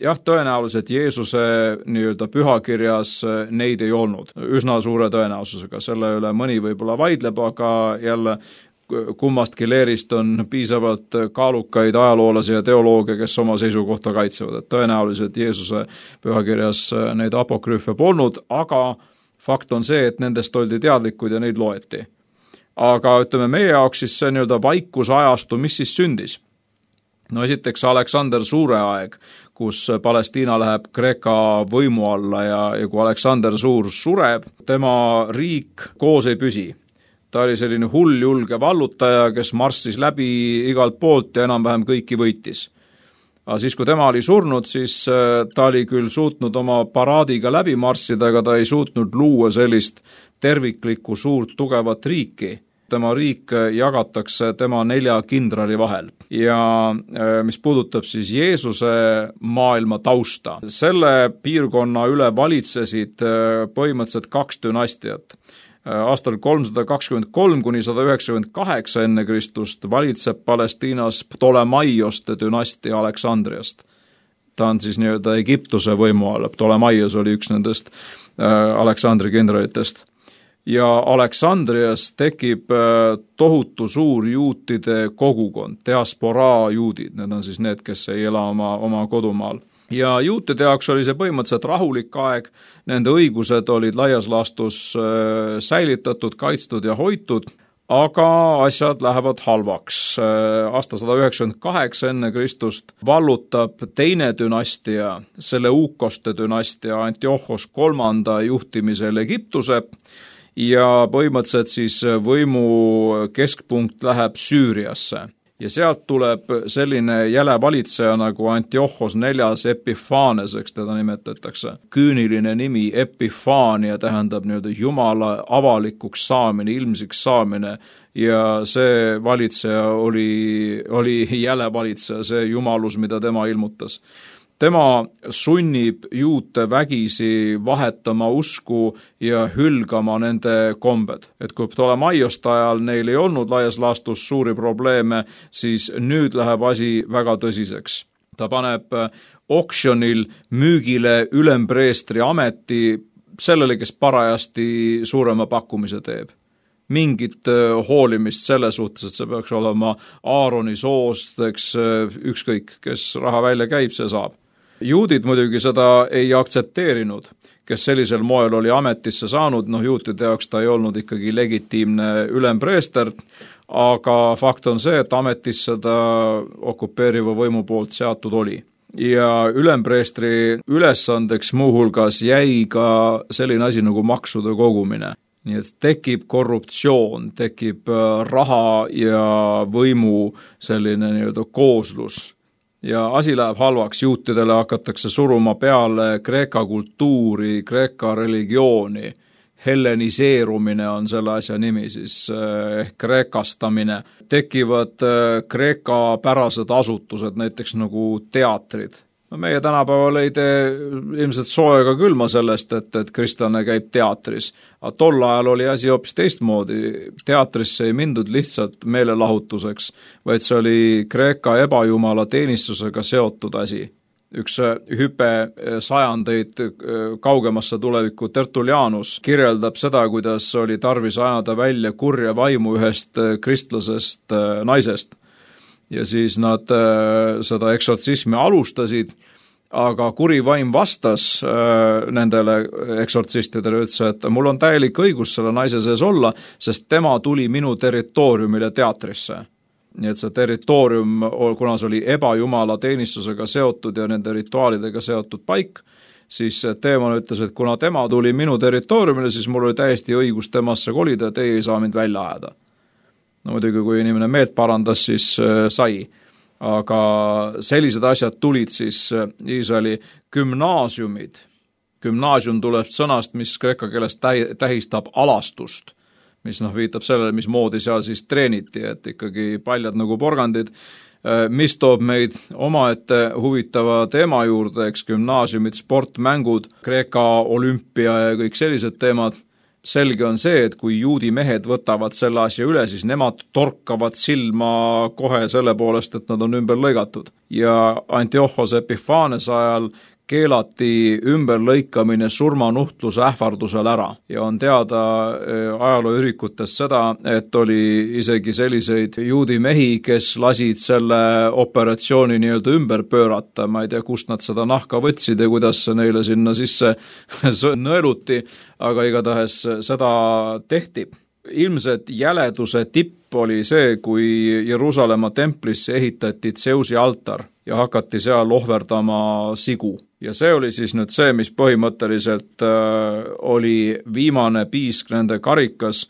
jah, tõenäoliselt Jeesuse nii-öelda pühakirjas neid ei olnud. Üsna suure tõenäosusega, selle üle mõni võib-olla vaidleb, aga jälle kummastki leerist on piisavalt kaalukaid ajaloolasi ja teolooge, kes oma seisukohta kaitsevad, et tõenäoliselt Jeesuse pühakirjas neid apokrüüfe polnud, aga fakt on see, et nendest oldi teadlikud ja neid loeti. Aga ütleme meie jaoks siis see nii-öelda vaikusajastu, mis siis sündis? No esiteks Aleksander Suure aeg, kus Palestiina läheb Kreeka võimu alla ja, ja kui Aleksander Suur sureb, tema riik koos ei püsi. Ta oli selline hull julge vallutaja, kes marssis läbi igalt poolt ja enam-vähem kõiki võitis. Aga siis, kui tema oli surnud, siis ta oli küll suutnud oma paraadiga läbi marssida, aga ta ei suutnud luua sellist terviklikku suurt tugevat riiki. Tema riik jagatakse tema nelja kindrali vahel. Ja mis puudutab siis Jeesuse maailma tausta, selle piirkonna üle valitsesid põhimõtteliselt kaks dünastiat. Aastal kolmsada kakskümmend kolm kuni sada üheksakümmend kaheksa enne Kristust valitseb Palestiinas Ptolemaioste dünastia Aleksandriast. Ta on siis nii-öelda Egiptuse võimu all, Ptolemaios oli üks nendest Aleksandri kindralitest. Ja Aleksandrias tekib tohutu suur juutide kogukond, diasporaa juudid, need on siis need, kes ei ela oma, oma kodumaal. Ja juutide jaoks oli see põhimõtteliselt rahulik aeg, nende õigused olid laias laastus säilitatud, kaitstud ja hoitud, aga asjad lähevad halvaks. Aasta sada üheksakümmend kaheksa enne Kristust vallutab teine dünastia, Seleukoste dünastia Antiochos kolmanda juhtimisel Egiptuse ja põhimõtteliselt siis võimu keskpunkt läheb Süüriasse. Ja sealt tuleb selline jäle valitseja nagu Antiochos neljas Epiphanes, eks teda nimetatakse. Küüniline nimi Epifania tähendab nii-öelda Jumala avalikuks saamine, ilmsiks saamine ja see valitseja oli, oli jäle valitseja, see jumalus, mida tema ilmutas. Tema sunnib juute vägisi vahetama usku ja hülgama nende kombed. Et kui Ptolemaioste ajal neil ei olnud laias laastus suuri probleeme, siis nüüd läheb asi väga tõsiseks. Ta paneb oksjonil müügile ülempreestri ameti sellele, kes parajasti suurema pakkumise teeb. Mingit hoolimist selle suhtes, et see peaks olema Aaroni soost, eks ükskõik, kes raha välja käib, see saab. Juudid muidugi seda ei aktsepteerinud, kes sellisel moel oli ametisse saanud, noh juutide jaoks ta ei olnud ikkagi legitiimne ülempreester, aga fakt on see, et ametisse ta okupeeriva võimu poolt seatud oli. Ja ülempreestri ülesandeks muuhulgas jäi ka selline asi nagu maksude kogumine. Nii et tekib korruptsioon, tekib raha ja võimu selline nii-öelda kooslus. Ja asi läheb halvaks, juutidele hakatakse suruma peale Kreeka kultuuri, Kreeka religiooni. Helleniseerumine on selle asja nimi, siis ehk kreekastamine. Tekivad Kreeka pärased asutused, näiteks nagu teatrid. No meie tänapäeval ei tee ilmselt sooega külma sellest, et, et kristlane käib teatris. Aga tol ajal oli asi hoopis teistmoodi. Teatrisse ei mindud lihtsalt meelelahutuseks, vaid see oli Kreeka ebajumala teenistusega seotud asi. Üks hüpe sajandeid kaugemasse tulevikku Tertullianus kirjeldab seda, kuidas oli tarvis ajada välja kurja vaimu ühest kristlasest naisest. Ja siis nad seda eksortsismi alustasid, aga kuri vaim vastas nendele eksortsistidele, ütles, et mul on täielik õigus selle naise sees olla, sest tema tuli minu territooriumile teatrisse. Nii et see territoorium, kuna see oli ebajumala teenistusega seotud ja nende rituaalidega seotud paik, siis teeman ütles, et kuna tema tuli minu territooriumile, siis mul oli täiesti õigus temasse kolida ja teie ei saa mind välja ajada. No muidugi, kui inimene meelt parandas, siis äh, sai. Aga sellised asjad tulid siis Iisraeli gümnaasiumid. Gümnaasium tuleb sõnast, mis kreeka keeles tähistab alastust, mis noh, viitab sellele, mis moodi seal siis treeniti, et ikkagi paljad nagu porgandid, mis toob meid omaette huvitava teema juurde, eks gümnaasiumid, sportmängud, Kreeka olümpia ja kõik sellised teemad. selge on see, et kui juudi mehed võtavad selle asja üle, siis nemad torkavad silma kohe selle poolest, et nad on ümber lõigatud. Ja Antiochos Epiphanes ajal keelati ümberlõikamine surmanuhtluse ähvardusel ära ja on teada ajalooürikutest seda, et oli isegi selliseid juudi mehi, kes lasid selle operatsiooni nii-öelda ümber pöörata, ma ei tea, kust nad seda nahka võtsid ja kuidas see neile sinna sisse nõeluti, aga igatahes seda tehti. Ilmselt jäleduse tipp oli see, kui Jeruusalemma templisse ehitati Tseusi altar ja hakati seal ohverdama sigu. Ja see oli siis nüüd see, mis põhimõtteliselt äh, oli viimane piisk nende karikas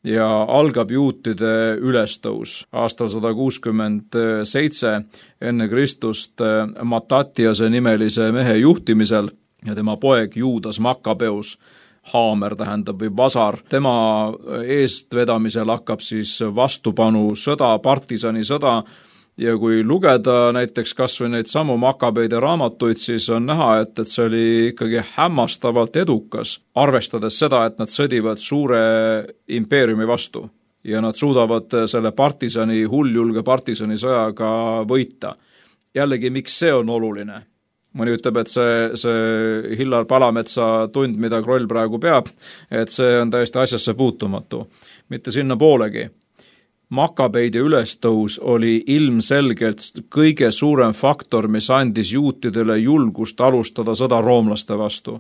ja algab juutide ülestõus. Aastal sada kuuskümmend seitse enne Kristust äh, Matatiase nimelise mehe juhtimisel ja tema poeg Juudas Makkabeus, haamer tähendab või vasar. Tema eestvedamisel hakkab siis vastupanu sõda, partisani sõda, ja kui lugeda näiteks kas või neid samu Makabeide raamatuid, siis on näha, et, et see oli ikkagi hämmastavalt edukas, arvestades seda, et nad sõdivad suure impeeriumi vastu ja nad suudavad selle partisani, hulljulge partisani sõjaga võita. Jällegi, miks see on oluline? Mõni ütleb, et see, see Hillar Palametsa tund, mida Kroll praegu peab, et see on täiesti asjasse puutumatu. Mitte sinna poolegi. Makabeide ülestõus oli ilmselgelt kõige suurem faktor, mis andis juutidele julgust alustada sõda roomlaste vastu.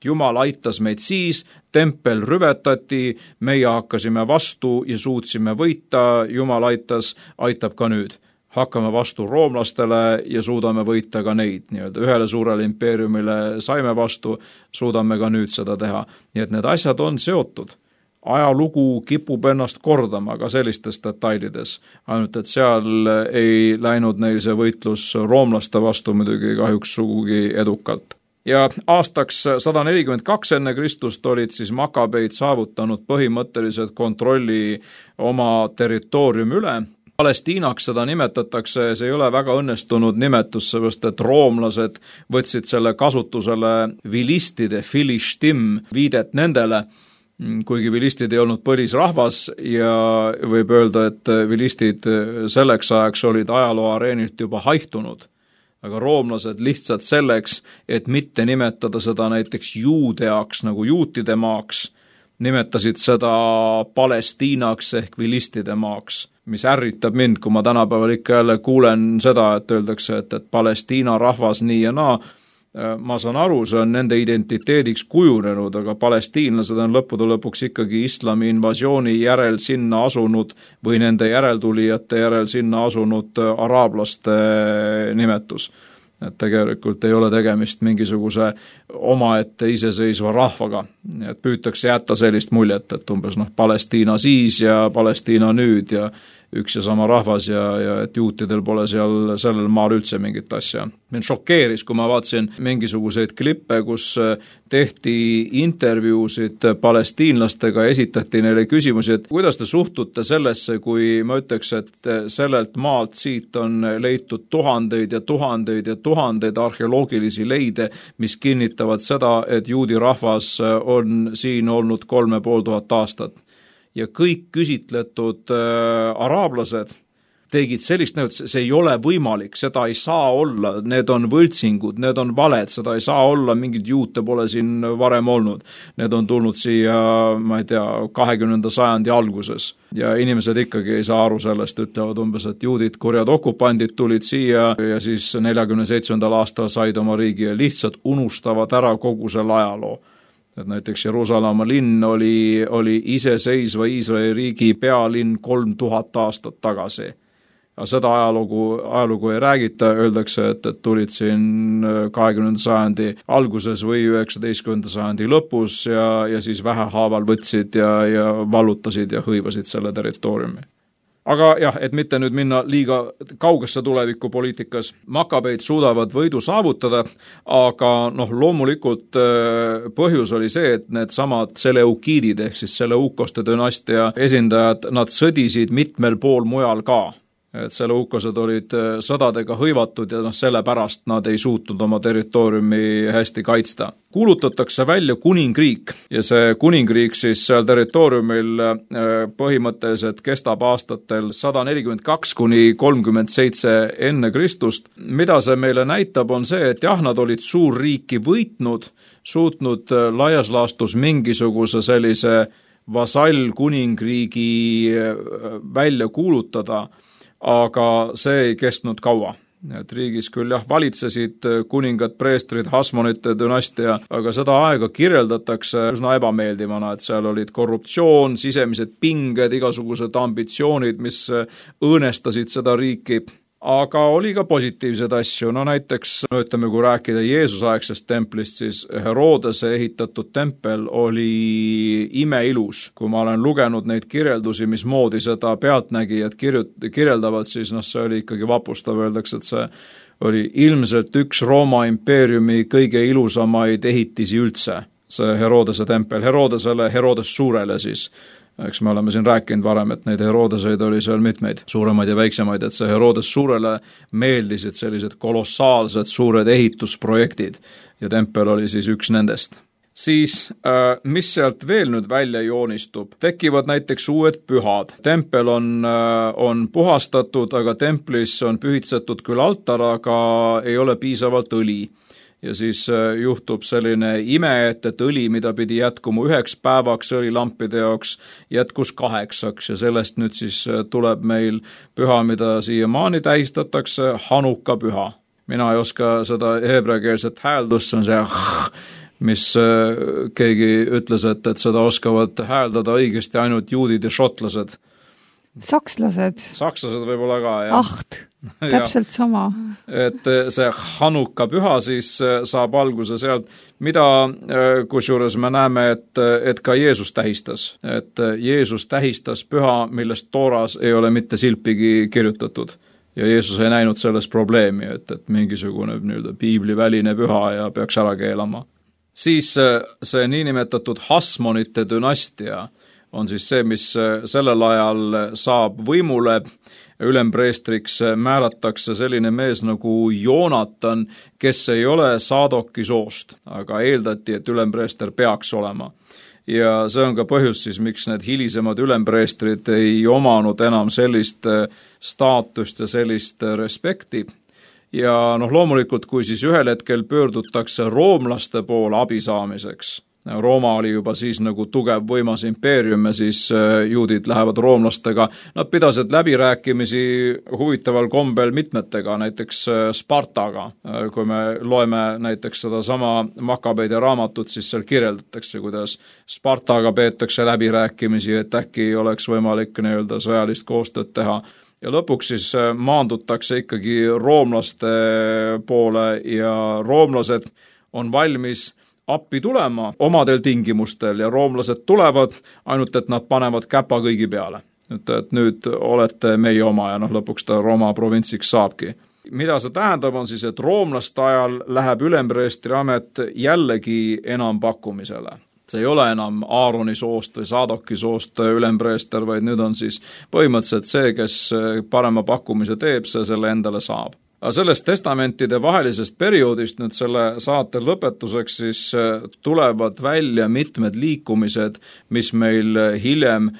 Jumal aitas meid siis, tempel rüvetati, meie hakkasime vastu ja suutsime võita, Jumal aitas, aitab ka nüüd. Hakkame vastu roomlastele ja suudame võita ka neid. Nii-öelda ühele suurele impeeriumile saime vastu, suudame ka nüüd seda teha. Nii et need asjad on seotud. Ajalugu kipub ennast kordama ka sellistes detailides. Ainult, et seal ei läinud neil see võitlus roomlaste vastu muidugi kahjuks sugugi edukalt. Ja aastaks sada nelikümmend kaks enne Kristust olid siis Makabeid saavutanud põhimõtteliselt kontrolli oma territooriumi üle. Palestiinaks seda nimetatakse, see ei ole väga õnnestunud nimetus, seepärast et roomlased võtsid selle kasutusele vilistide, filishtim, viidet nendele, kuigi vilistid ei olnud põlisrahvas ja võib öelda, et vilistid selleks ajaks olid ajaloo areenilt juba haihtunud. Aga roomlased lihtsalt selleks, et mitte nimetada seda näiteks juudeaks nagu juutide maaks, nimetasid seda Palestiinaks ehk vilistide maaks, mis ärritab mind, kui ma tänapäeval ikka jälle kuulen seda, et öeldakse, et, et Palestiina rahvas nii ja naa. Ma saan aru, see on nende identiteediks kujunenud, aga palestiinlased on lõppude lõpuks ikkagi islami invasiooni järel sinna asunud või nende järeltulijate järel sinna asunud araablaste nimetus. Et tegelikult ei ole tegemist mingisuguse omaette iseseisva rahvaga. Et püütakse jätta sellist muljet, et umbes noh, Palestiina siis ja Palestiina nüüd ja üks ja sama rahvas ja, ja et juutidel pole seal sellel maal üldse mingit asja. Mind šokeeris, kui ma vaatasin mingisuguseid klippe, kus tehti intervjuusid palestiinlastega, esitati neile küsimusi, et kuidas te suhtute sellesse, kui ma ütleks, et sellelt maalt siit on leitud tuhandeid ja tuhandeid ja tuhandeid arheoloogilisi leide, mis kinnitavad seda, et juudi rahvas on siin olnud kolme pool tuhat aastat. Ja kõik küsitletud äh, araablased tegid sellist näot, see ei ole võimalik, seda ei saa olla, need on võltsingud, need on valed, seda ei saa olla, mingid juute pole siin varem olnud. Need on tulnud siia, ma ei tea, kahekümnenda sajandi alguses ja inimesed ikkagi ei saa aru sellest, ütlevad umbes, et juudid, kurjad okupandid tulid siia ja siis neljakümne seitsmendal aastal said oma riigi ja lihtsalt unustavad ära kogu selle ajaloo. Et näiteks Jeruusalemma linn oli, oli iseseisva Iisraeli riigi pealinn kolm tuhat aastat tagasi. Ja seda ajalugu, ajalugu ei räägita, öeldakse, et, et tulid siin kahekümnenda sajandi alguses või üheksateistkümnenda sajandi lõpus ja, ja siis vähehaaval võtsid ja, ja vallutasid ja hõivasid selle territooriumi. Aga jah, et mitte nüüd minna liiga kaugesse tuleviku poliitikas, Makabeid suudavad võidu saavutada, aga noh, loomulikult põhjus oli see, et need samad Seleukiidid ehk siis Seleukoste dünastia esindajad, nad sõdisid mitmel pool mujal ka. et seluukosed olid sõdadega hõivatud ja noh, sellepärast nad ei suutnud oma territooriumi hästi kaitsta. Kuulutatakse välja kuningriik ja see kuningriik siis seal territooriumil põhimõtteliselt kestab aastatel sada nelikümmend kaks kuni kolmkümmend seitse enne Kristust. Mida see meile näitab, on see, et jah, nad olid suurriiki võitnud, suutnud laias laastus mingisuguse sellise vasall kuningriigi välja kuulutada, aga see ei kestnud kaua. Et riigis küll jah, valitsesid kuningad, preestrid, Hasmonite dünastia, aga seda aega kirjeldatakse üsna ebameeldivana, et seal olid korruptsioon, sisemised pinged, igasugused ambitsioonid, mis õõnestasid seda riiki. Aga oli ka positiivsed asju, no näiteks, no ütleme, kui rääkida Jeesusaegsest templist, siis Herodese ehitatud tempel oli imeilus. Kui ma olen lugenud neid kirjeldusi, mis moodi seda pealtnägijad kirjeldavad, siis noh, see oli ikkagi vapustav, öeldakse, et see oli ilmselt üks Rooma impeeriumi kõige ilusamaid ehitisi üldse, see Herodese tempel, Herodesele, Herodes Suurele siis. Eks me oleme siin rääkinud varem, et neid Herodeseid oli seal mitmeid, suuremaid ja väiksemaid, et see Herodes Suurele meeldisid sellised kolossaalsed suured ehitusprojektid ja tempel oli siis üks nendest. Siis, mis sealt veel nüüd välja joonistub, tekivad näiteks uued pühad. Tempel on, on puhastatud, aga templis on pühitsetud küll altar, aga ei ole piisavalt õli. Ja siis juhtub selline ime, et, et õli, mida pidi jätkuma üheks päevaks õlilampide jaoks, jätkus kaheksaks ja sellest nüüd siis tuleb meil püha, mida siiamaani tähistatakse, Hanuka püha. Mina ei oska seda heebreakeelset hääldust, see on see, mis keegi ütles, et, et seda oskavad hääldada õigesti ainult juudid ja šotlased. Sakslased. Sakslased võib-olla ka, jah. Aht. Täpselt sama. Et see Hanuka püha siis saab alguse sealt, mida kusjuures me näeme, et, et ka Jeesus tähistas. Et Jeesus tähistas püha, millest Tooras ei ole mitte silpigi kirjutatud. Ja Jeesus ei näinud selles probleemi, et, et mingisugune nii-öelda piibliväline püha ja peaks ära keelama. Siis see niinimetatud Hasmonite dünastia on siis see, mis sellel ajal saab võimule. Ülempreestriks määratakse selline mees nagu Joonatan, kes ei ole Saadoki soost, aga eeldati, et ülempreester peaks olema. Ja see on ka põhjus siis, miks need hilisemad ülempreestrid ei omanud enam sellist staatust ja sellist respekti. Ja noh, loomulikult, kui siis ühel hetkel pöördutakse roomlaste poole abi saamiseks, Rooma oli juba siis nagu tugev võimas impeerium ja siis juudid lähevad roomlastega. Nad pidasid läbirääkimisi huvitaval kombel mitmetega, näiteks Spartaga. Kui me loeme näiteks seda sama Makabeide raamatut, siis seal kirjeldatakse, kuidas Spartaga peetakse läbirääkimisi, et äkki oleks võimalik nii-öelda sõjalist koostööd teha. Ja lõpuks siis maandutakse ikkagi roomlaste poole ja roomlased on valmis appi tulema omadel tingimustel ja roomlased tulevad, ainult et nad panevad käpa kõigi peale. Et, et nüüd olete meie oma ja noh, lõpuks ta Rooma provintsiks saabki. Mida see tähendab on siis, et roomlaste ajal läheb ülempreestri amet jällegi enam pakkumisele. See ei ole enam Aaroni soost või Saadoki soost ülempreester, vaid nüüd on siis põhimõtteliselt see, kes parema pakkumise teeb, see selle endale saab. Aga sellest testamentide vahelisest perioodist nüüd selle saate lõpetuseks siis tulevad välja mitmed liikumised, mis meil hiljem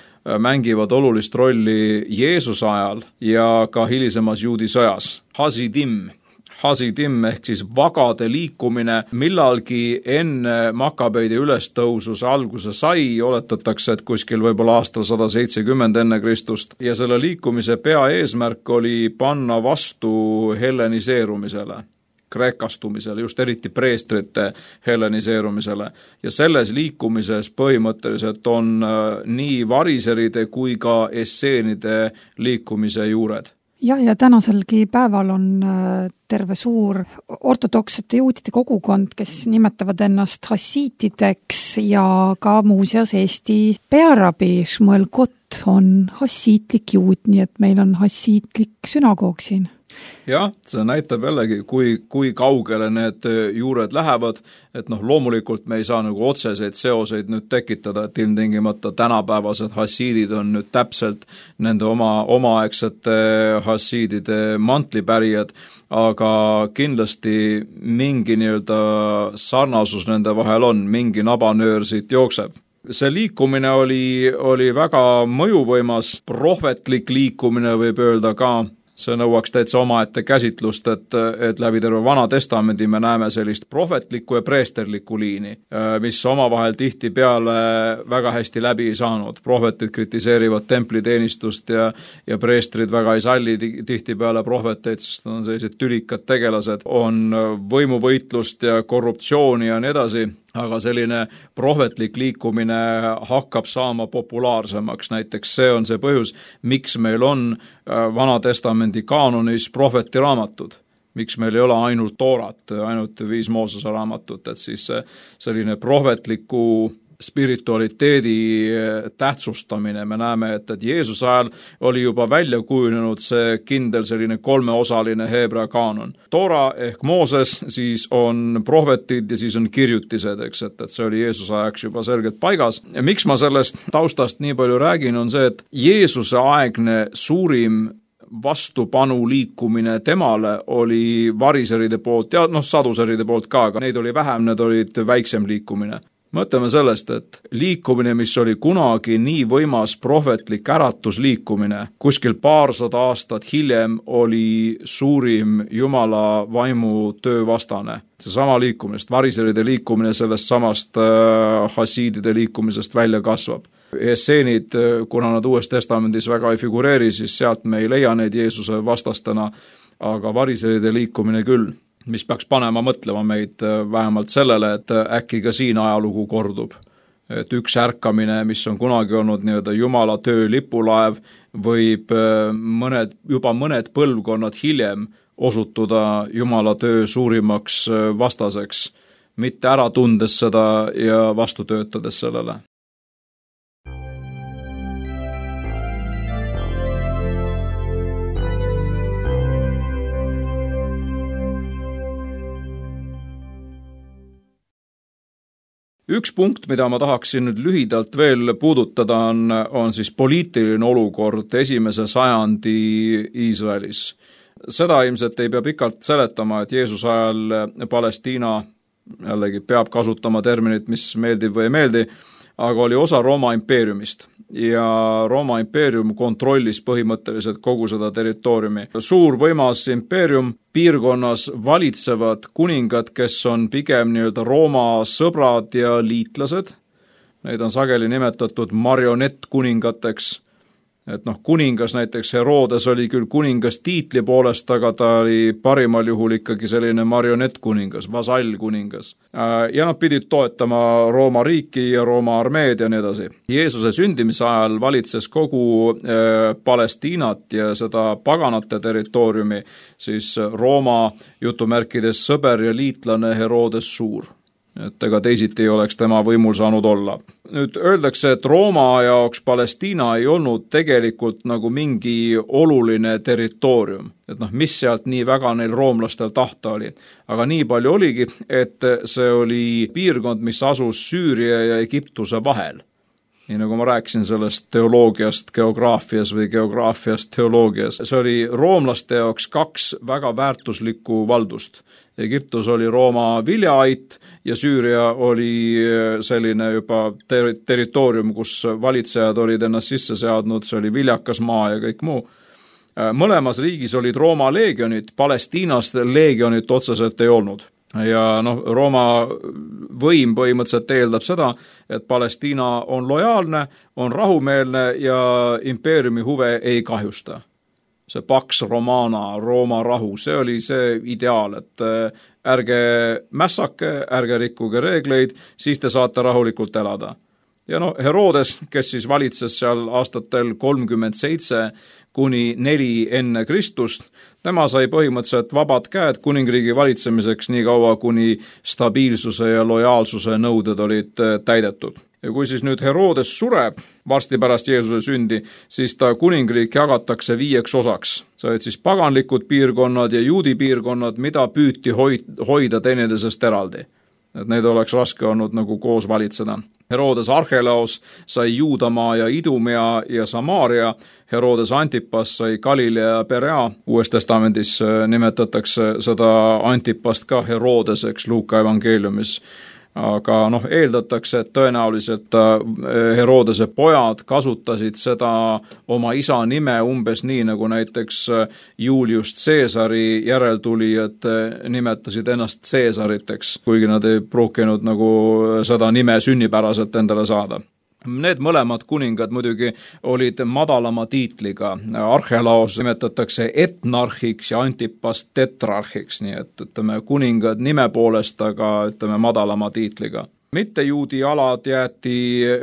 mängivad olulist rolli Jeesuse ajal ja ka hilisemas juudi sõjas. Hasidim. Hasidim ehk siis vagade liikumine millalgi enne Makabeide ülestõususe alguse sai, oletatakse, et kuskil võib-olla aastal sada seitsekümmend enne Kristust ja selle liikumise peaeesmärk oli panna vastu helleniseerumisele, kreekastumisele, just eriti preestrite helleniseerumisele ja selles liikumises põhimõtteliselt on nii variseride kui ka esseenide liikumise juured. Ja, ja tänaselgi päeval on terve suur ortodoksete juudide kogukond, kes nimetavad ennast hassiitideks ja ka muuseas Eesti pearabi Šmuel Kott on hassiitlik juud, nii et meil on hassiitlik sünagoog siin. jah, see näitab jällegi, kui, kui kaugele need juured lähevad, et noh, loomulikult me ei saa nagu otseseid seoseid nüüd tekitada, et ilmtingimata tänapäevased hassiidid on nüüd täpselt nende oma omaaegsete hassiidide mantlipärijad, aga kindlasti mingi nii-öelda sarnasus nende vahel on, mingi nabanöör siit jookseb. See liikumine oli, oli väga mõjuvõimas, prohvetlik liikumine võib öelda ka. See nõuaks täitsa omaette käsitlust, et, et läbi terve Vana Testamendi me näeme sellist prohvetlikku ja preesterlikku liini, mis omavahel tihti peale väga hästi läbi ei saanud. Prohvetid kritiseerivad templiteenistust ja, ja preestrid väga ei salli tihti peale prohveteid, sest on sellised tülikad tegelased, on võimuvõitlust ja korruptsiooni ja nii edasi. Aga selline prohvetlik liikumine hakkab saama populaarsemaks, näiteks see on see põhjus, miks meil on Vana Testamendi kaanonis prohvetiraamatud, miks meil ei ole ainult Toorat, ainult viis Moosese raamatut, et siis selline prohvetliku spiritualiteedi tähtsustamine, me näeme, et, et Jeesuse ajal oli juba välja kujunenud see kindel selline kolmeosaline heebrea kaanon. Toora ehk Mooses, siis on prohvetid ja siis on kirjutised, eks, et, et see oli Jeesuse ajaks juba selgelt paigas. Ja miks ma sellest taustast nii palju räägin, on see, et Jeesuse aegne suurim vastupanu liikumine temale oli variseride poolt ja noh, saduseride poolt ka, aga neid oli vähem, need olid väiksem liikumine. Mõtleme sellest, et liikumine, mis oli kunagi nii võimas prohvetlik äratusliikumine, kuskil paarsada aastat hiljem oli suurim Jumala vaimu töövastane. See sama liikumine, variseride liikumine sellest samast äh, hassiidide liikumisest välja kasvab. Esseenid, kuna nad Uues Testamendis väga ei figureeri, siis sealt me ei leia neid Jeesuse vastastena, aga variseride liikumine küll, mis peaks panema mõtlema meid vähemalt sellele, et äkki ka siin ajalugu kordub. Et üks ärkamine, mis on kunagi olnud nii-öelda Jumala töö lipulaev, võib mõned, juba mõned põlvkonnad hiljem osutuda Jumala töö suurimaks vastaseks, mitte ära tundes seda ja vastu töötades sellele. Üks punkt, mida ma tahaksin nüüd lühidalt veel puudutada, on, on siis poliitiline olukord esimese sajandi Iisraelis. Seda ilmselt ei pea pikalt seletama, et Jeesuse ajal Palestiina, jällegi peab kasutama terminit, mis meeldib või ei meeldi, aga oli osa Rooma impeeriumist ja Rooma impeerium kontrollis põhimõtteliselt kogu seda territooriumi. Suur võimas impeerium, piirkonnas valitsevad kuningad, kes on pigem nii-öelda Rooma sõbrad ja liitlased. Neid on sageli nimetatud marionettkuningateks. Et noh, kuningas näiteks Herodes oli küll kuningas tiitli poolest, aga ta oli parimal juhul ikkagi selline marionettkuningas, vasallkuningas. Ja nad pidid toetama Rooma riiki ja Rooma armeed ja nii edasi. Jeesuse sündimise ajal valitses kogu äh, Palestiinat ja seda paganate territooriumi, siis Rooma jutumärkides sõber ja liitlane Herodes Suur. Et ega teisiti ei oleks tema võimul saanud olla. Nüüd öeldakse, et Rooma jaoks Palestiina ei olnud tegelikult nagu mingi oluline territoorium. Et noh, mis sealt nii väga neil roomlastel tahta oli. Aga nii palju oligi, et see oli piirkond, mis asus Süüria ja Egiptuse vahel. Nii nagu ma rääkisin sellest teoloogiast geograafias või geograafiast teoloogias. See oli roomlaste jaoks kaks väga väärtuslikku valdust. Egiptus oli Rooma viljaait ja Süüria oli selline juba ter- territoorium, kus valitsejad olid ennast sisse seadnud, see oli viljakas maa ja kõik muu. Mõlemas riigis olid Rooma leegionid, Palestiinas leegionit otseselt ei olnud. Ja noh, Rooma võim põhimõtteliselt eeldab seda, et Palestiina on lojaalne, on rahumeelne ja impeeriumi huve ei kahjusta. See Pax Romana, Rooma rahu, see oli see ideaal, et ärge mässake, ärge rikkuge reegleid, siis te saate rahulikult elada. Ja no Herodes, kes siis valitses seal aastatel kolmkümmend seitse kuni neli enne Kristust, tema sai põhimõtteliselt vabad käed kuningriigi valitsemiseks nii kaua, kuni stabiilsuse ja lojaalsuse nõuded olid täidetud. ja kui siis nüüd Herodes sureb varsti pärast Jeesuse sündi, siis ta kuningriik jagatakse viieks osaks. See olid siis paganlikud piirkonnad ja juudi piirkonnad, mida püüti hoida teineteisest eraldi. Et neid oleks raske olnud nagu koos valitseda. Herodes Archelaos sai Juudamaa ja Idumea ja Samaaria, Herodes Antipas sai Galilea ja Perea. Uues testamendis nimetatakse seda Antipast ka Herodeseks Luuka evangeeliumis. Aga noh, eeldatakse, et tõenäoliselt Herodese pojad kasutasid seda oma isa nime umbes nii, nagu näiteks Julius Caesari järeltulijad nimetasid ennast Caesariteks, kuigi nad ei pruukinud nagu seda nime sünnipäraselt endale saada. Need mõlemad kuningad muidugi olid madalama tiitliga. Archelaos nimetatakse etnarhiks ja Antipas tetrarhiks, nii et ütleme kuningad nime poolest, aga ütleme madalama tiitliga. Mittejuudi alad jäeti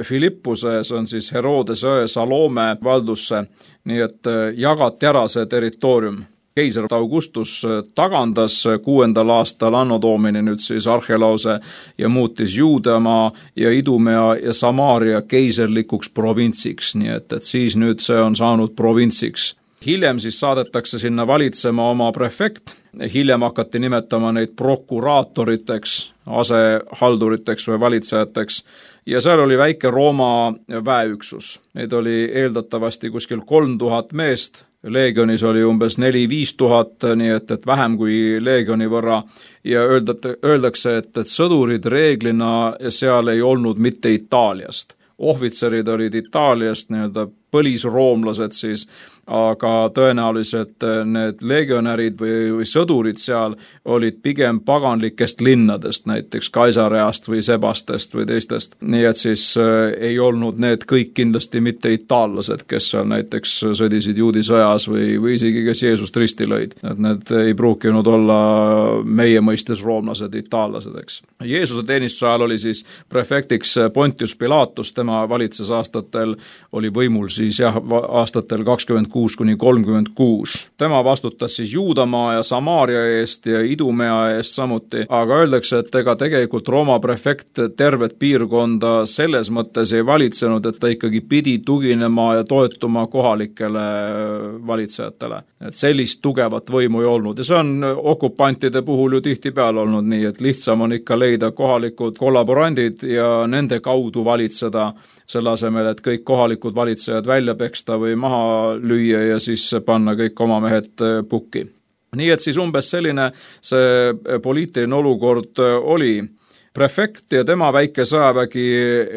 Filippuse, see on siis Herodese Salome valdusse, nii et jagati ära see territoorium. Keiser Augustus tagandas kuuendal aastal Anno Domini nüüd siis Archelaose ja muutis Juudamaa ja Idumea ja Samaaria keiserlikuks provintsiks, nii et, et siis nüüd see on saanud provintsiks. Hiljem siis saadetakse sinna valitsema oma prefekt, hiljem hakati nimetama neid prokuraatoriteks, asehalduriteks või valitsejateks ja seal oli väike Rooma väeüksus. Neid oli eeldatavasti kuskil kolm tuhat meest, leegionis oli umbes neli viis tuhat, nii et, et vähem kui leegioni võrra ja öeldate, öeldakse, et, et sõdurid reeglina seal ei olnud mitte Itaaliast. Ohvitserid olid Itaaliast, nii-öelda põlisroomlased siis, aga tõenäoliselt need legionärid või, või sõdurid seal olid pigem paganlikest linnadest, näiteks Kaisareast või Sebastest või teistest. Nii et siis äh, ei olnud need kõik kindlasti mitte itaallased, kes seal näiteks sõdisid juudi sõjas või, või isegi kes Jeesust risti lõid. Et need ei pruukinud olla meie mõistes roomlased, itaallased, eks. Jeesuse teenistuse ajal oli siis prefektiks Pontius Pilatus, tema valitses aastatel, oli võimul siis jah, aastatel kakskümmend kuus kuni kolmkümmend kuus. Tema vastutas siis Juudamaa ja Samaaria eest ja Idumea eest samuti, aga öeldakse, et ega tegelikult Rooma prefekt tervet piirkonda selles mõttes ei valitsenud, et ta ikkagi pidi tuginema ja toetuma kohalikele valitsejatele. Et sellist tugevat võimu ei olnud ja see on okupantide puhul ju tihtipeale olnud nii, et lihtsam on ikka leida kohalikud kollaborandid ja nende kaudu valitseda selle asemel, et kõik kohalikud valitsejad välja peksta või maha lüüa ja siis panna kõik oma mehed pukki. Nii et siis umbes selline see poliitiline olukord oli. Prefekt ja tema väike sõjavägi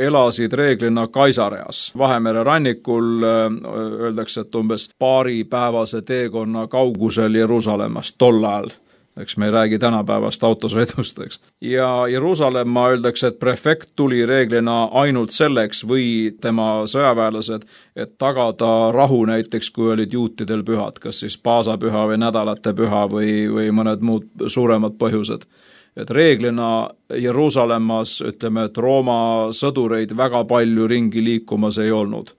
elasid reeglina Kaisareas. Vahemere rannikul öeldakse, et umbes paari päevase teekonna kaugusel Jeruusalemmast tol ajal. Eks me ei räägi tänapäevast autosõidust, eks. Ja Jeruusalemma öeldakse, et prefekt tuli reeglina ainult selleks või tema sõjaväelased, et tagada rahu näiteks, kui olid juutidel pühad, kas siis paasapüha või nädalate püha või, või mõned muud suuremad põhjused. Et reeglina Jeruusalemmas, ütleme, et Rooma sõdureid väga palju ringi liikumas ei olnud.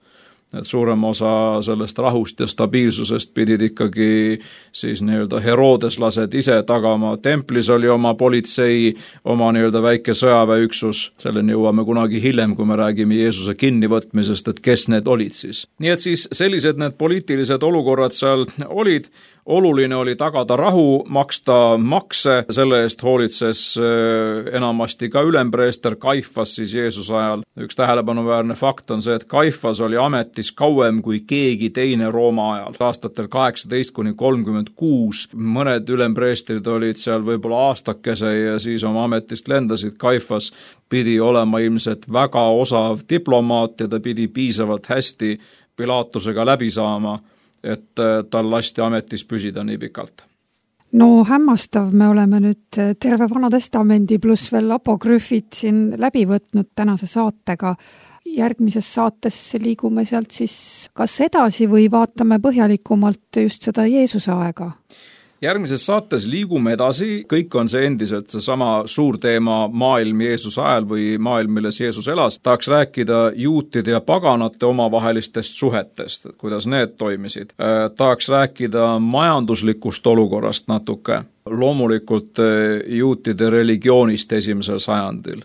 Et suurem osa sellest rahust ja stabiilsusest pidid ikkagi siis nii-öelda herodeslased ise tagama. Templis oli oma politsei, oma nii-öelda väike sõjaväeüksus. Selleni jõuame kunagi hiljem, kui me räägime Jeesuse kinnivõtmisest, et kes need olid siis. Nii et siis sellised need poliitilised olukorrad seal olid. Oluline oli tagada rahu, maksta makse, selle eest hoolitses enamasti ka ülempreester Kaifas siis Jeesuse ajal. Üks tähelepanuväärne fakt on see, et Kaifas oli ametis kauem kui keegi teine Rooma ajal. Aastatel kaheksateist kuni kolmkümmend kuus mõned ülempreestrid olid seal võib-olla aastakese ja siis oma ametist lendasid. Kaifas pidi olema ilmselt väga osav diplomaat ja ta pidi piisavalt hästi Pilatusega läbi saama, et tal lasti ametis püsida nii pikalt. No hämmastav, me oleme nüüd terve Vana Testamendi pluss veel apokrüfid siin läbi võtnud tänase saatega. Järgmises saates liigume sealt siis kas edasi või vaatame põhjalikumalt just seda Jeesuse aega? Järgmises saates liigume edasi, kõik on see endiselt see sama suur teema maailm Jeesuse ajal või maailm, milles Jeesus elas. Tahaks rääkida juutide ja paganate omavahelistest suhetest, kuidas need toimisid. Tahaks rääkida majanduslikust olukorrast natuke, loomulikult juutide religioonist esimesel sajandil.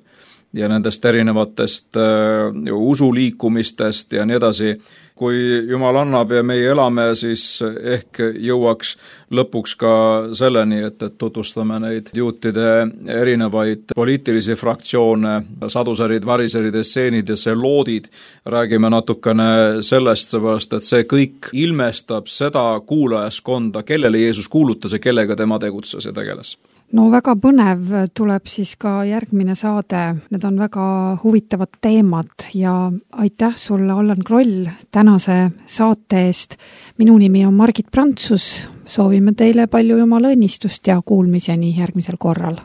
ja nendest erinevatest äh, usuliikumistest ja nii edasi. Kui Jumal annab ja meie elame, siis ehk jõuaks lõpuks ka selleni, et, et tutvustame neid juutide erinevaid poliitilisi fraktsioone, sadusärid, variserid, esseenid ja seloodid. Räägime natukene sellest, seepärast, et see kõik ilmestab seda kuulajaskonda, kellele Jeesus kuulutas ja kellega tema tegutses ja tegeles. No väga põnev tuleb siis ka järgmine saade. Need on väga huvitavad teemad ja aitäh sulle, Allan Kroll, tänase saate eest. Minu nimi on Margit Prantsus. Soovime teile palju Jumala õnnistust ja kuulmiseni järgmisel korral.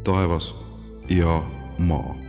Taevas ja maa.